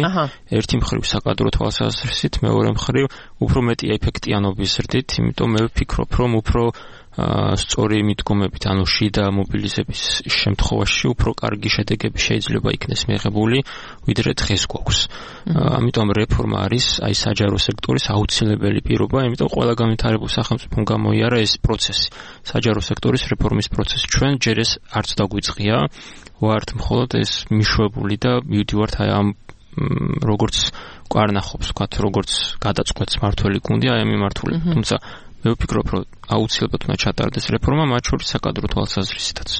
ერთი მხრივ საკადრო თვალსაზრისით მეორე მხრივ უფრო მეტი ეფექტიანობის ზრდით იმიტომ მე ვფიქრობ რომ უფრო სწორი მიდგომებით, ანუ შიდა მობილიზების შემთხვევაში უფრო კარგი შედეგები შეიძლება იქნეს მიღებული, ვიდრე დღეს გვაქვს. ამიტომ რეფორმა არის აი საჯარო სექტორის აუცილებელი პირობა, ამიტომ ყველა განვითარებულ სახელმწიფომ გამოიარა ეს პროცესი, საჯარო სექტორის რეფორმის პროცესი. ჩვენ ჯერ ეს არც დაგვიწყია, ვართ მხოლოდ ეს მიშვებული და მივდივართ აი ამ როგორც კვარნახობს, ვთქვათ, როგორც გადაწყვეტს მართველი გუნდი აი ამ მიმართულებით. თუმცა მე ვფიქრობ, რომ აუცილებლად უნდა ჩატარდეს რეფორმა, მათ შორის საკადრო თვალსაზრისითაც.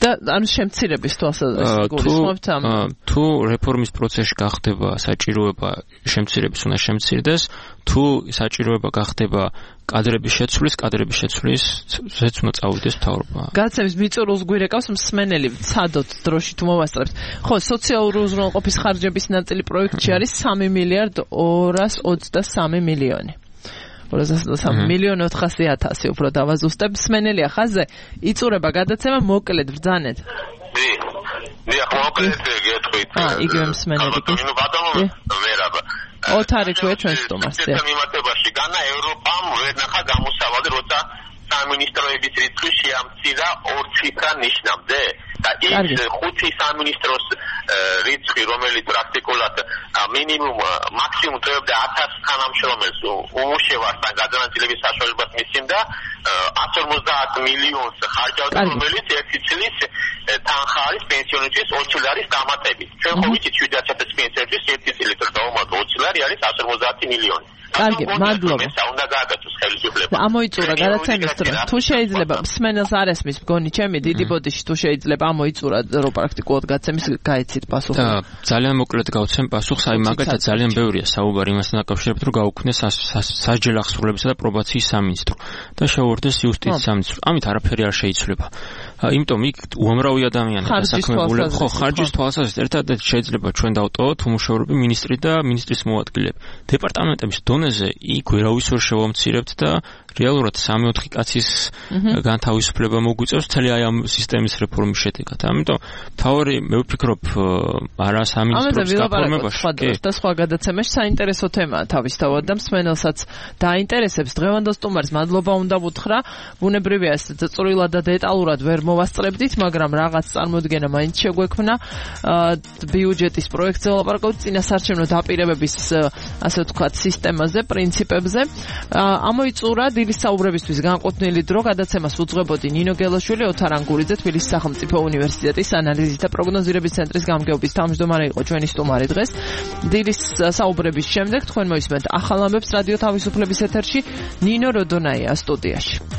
და ანუ შემცირების თვალსაზრისით გულისხმობთ ამ თუ რეფორმის პროცესში გახდება საჭიროება შემცირების უნდა შემცირდეს, თუ საჭიროება გახდება კადრების შეცვლის, კადრების შეცვლის ზეც უნდა წავიდეს მთავრობა. გადაცემის მიწურულს გვირეკავს მსმენელი, ცადოთ დროში თუ მოვასწრებთ. ხო, სოციალური უზრუნველყოფის ხარჯების ნაწილი პროექტში არის სამი მილიარდ ორას ოცდასამი მილიონი. სამი მილიონი ოთხასი ათასი უფრო დავაზუსტებ მსმენელია ხაზზე იწურება გადაცემა მოკლედ ბრძანეთ დი დი ახლა მოკლედ გეტყვით აა იგივე მსმენელი კი ნუ ბატონო ვერაბა ოთარი თქვენ ჩვენ სტუმარს ეს მიმართებაში განა ევროპამ ვერ ნახა გამოსავალი როცა სამინისტროების რიცხვი შეამცირა ორ ციფრა ნიშნამდე და ის ხუთი სამინისტროს რიცხვი რომელიც პრაქტიკულად მინიმუმ მაქსიმუმ წევდა ათას თანამშრომელს უმუშევართან გადანაწილების საშუალებას მისცემდა ათს ორმოცდაათ მილიონს ხარჯავდა რომელიც ერთი წლის თანხა არის პენსიონერების ოც ლარის დამატებით ჩვენ ხო ვიცით შვიდი ათასი პენსიონერის ერთი წლის დავამატო ოც ლარი არის ათს ორმოცდაათი მილიონი კარგი, მადლობა. უნდა გააკეთოს ხელისუფლება. ამოიწურა გადაცემის დრო. თუ შეიძლება მსმენელს არ ესმის მგონი ჩემი დიდი ბოდიში თუ შეიძლება ამოიწურა რომ პრაქტიკულად გაცემის გაიცით პასუხი. და ძალიან მოკლედ გავცემ პასუხს, აი მაგალითად ძალიან ბევრია საუბარი იმასთან დაკავშირებით რომ გაუქმნეს სასჯელ ახსრულებისა და პრობაციის სამინისტრო და შეუერთდეს იუსტიციის სამინისტრო. ამით არაფერი არ შეიცვლება. იმიტომ იქ უამრავი ადამიანი დასაქმებული ხო ხარჯის თვალსაზრისით ერთადერთი შეიძლება ჩვენ დავტოვოთ უმუშევრობი მინისტრი და მინისტრის მოადგილეები. დეპარტამენტების დონეზე იქ ვერავის ვერ შევამცირებთ და რეალურად სამი-ოთხი კაცის განთავისუფლება მოგვიწევს მთელი აი ამ სისტემის რეფორმის შედეგად. ამიტომ თავი მე ვფიქრობ არა სამინისტროს გაფორმებაში და სხვა გადაცემაში საინტერესო თემაა თავისთავად და მსმენელსაც დაინტერესებს. დღევანდელ სტუმარს მადლობა უნდა ვუთხრა. ბუნებრივია ეს წვრილად და დეტალურად ვერ მოვასწრებდით, მაგრამ რაღაც წარმოდგენა მაინც შეგვექმნა ბიუჯეტის პროექტზე ვლაპარაკობთ წინასაარჩევნო დაპირებების ასე ვთქვათ სისტემაზე, პრინციპებზე. ამოიწურა დილის საუბრებისთვის განკუთვნილი დრო გადაცემას უძღვებოდი ნინო გელაშვილი, ოთარ ანგურიძე, თბილისის სახელმწიფო უნივერსიტეტის ანალიზის და პროგნოზირების ცენტრის გამგეობის თავმჯდომარე იყო ჩვენი სტუმარი დღეს. დილის საუბრების შემდეგ თქვენ მოისმენთ ახალ ამბებს რადიო თავისუფლების ეთერში, ნინო როდონაია სტუდიაში.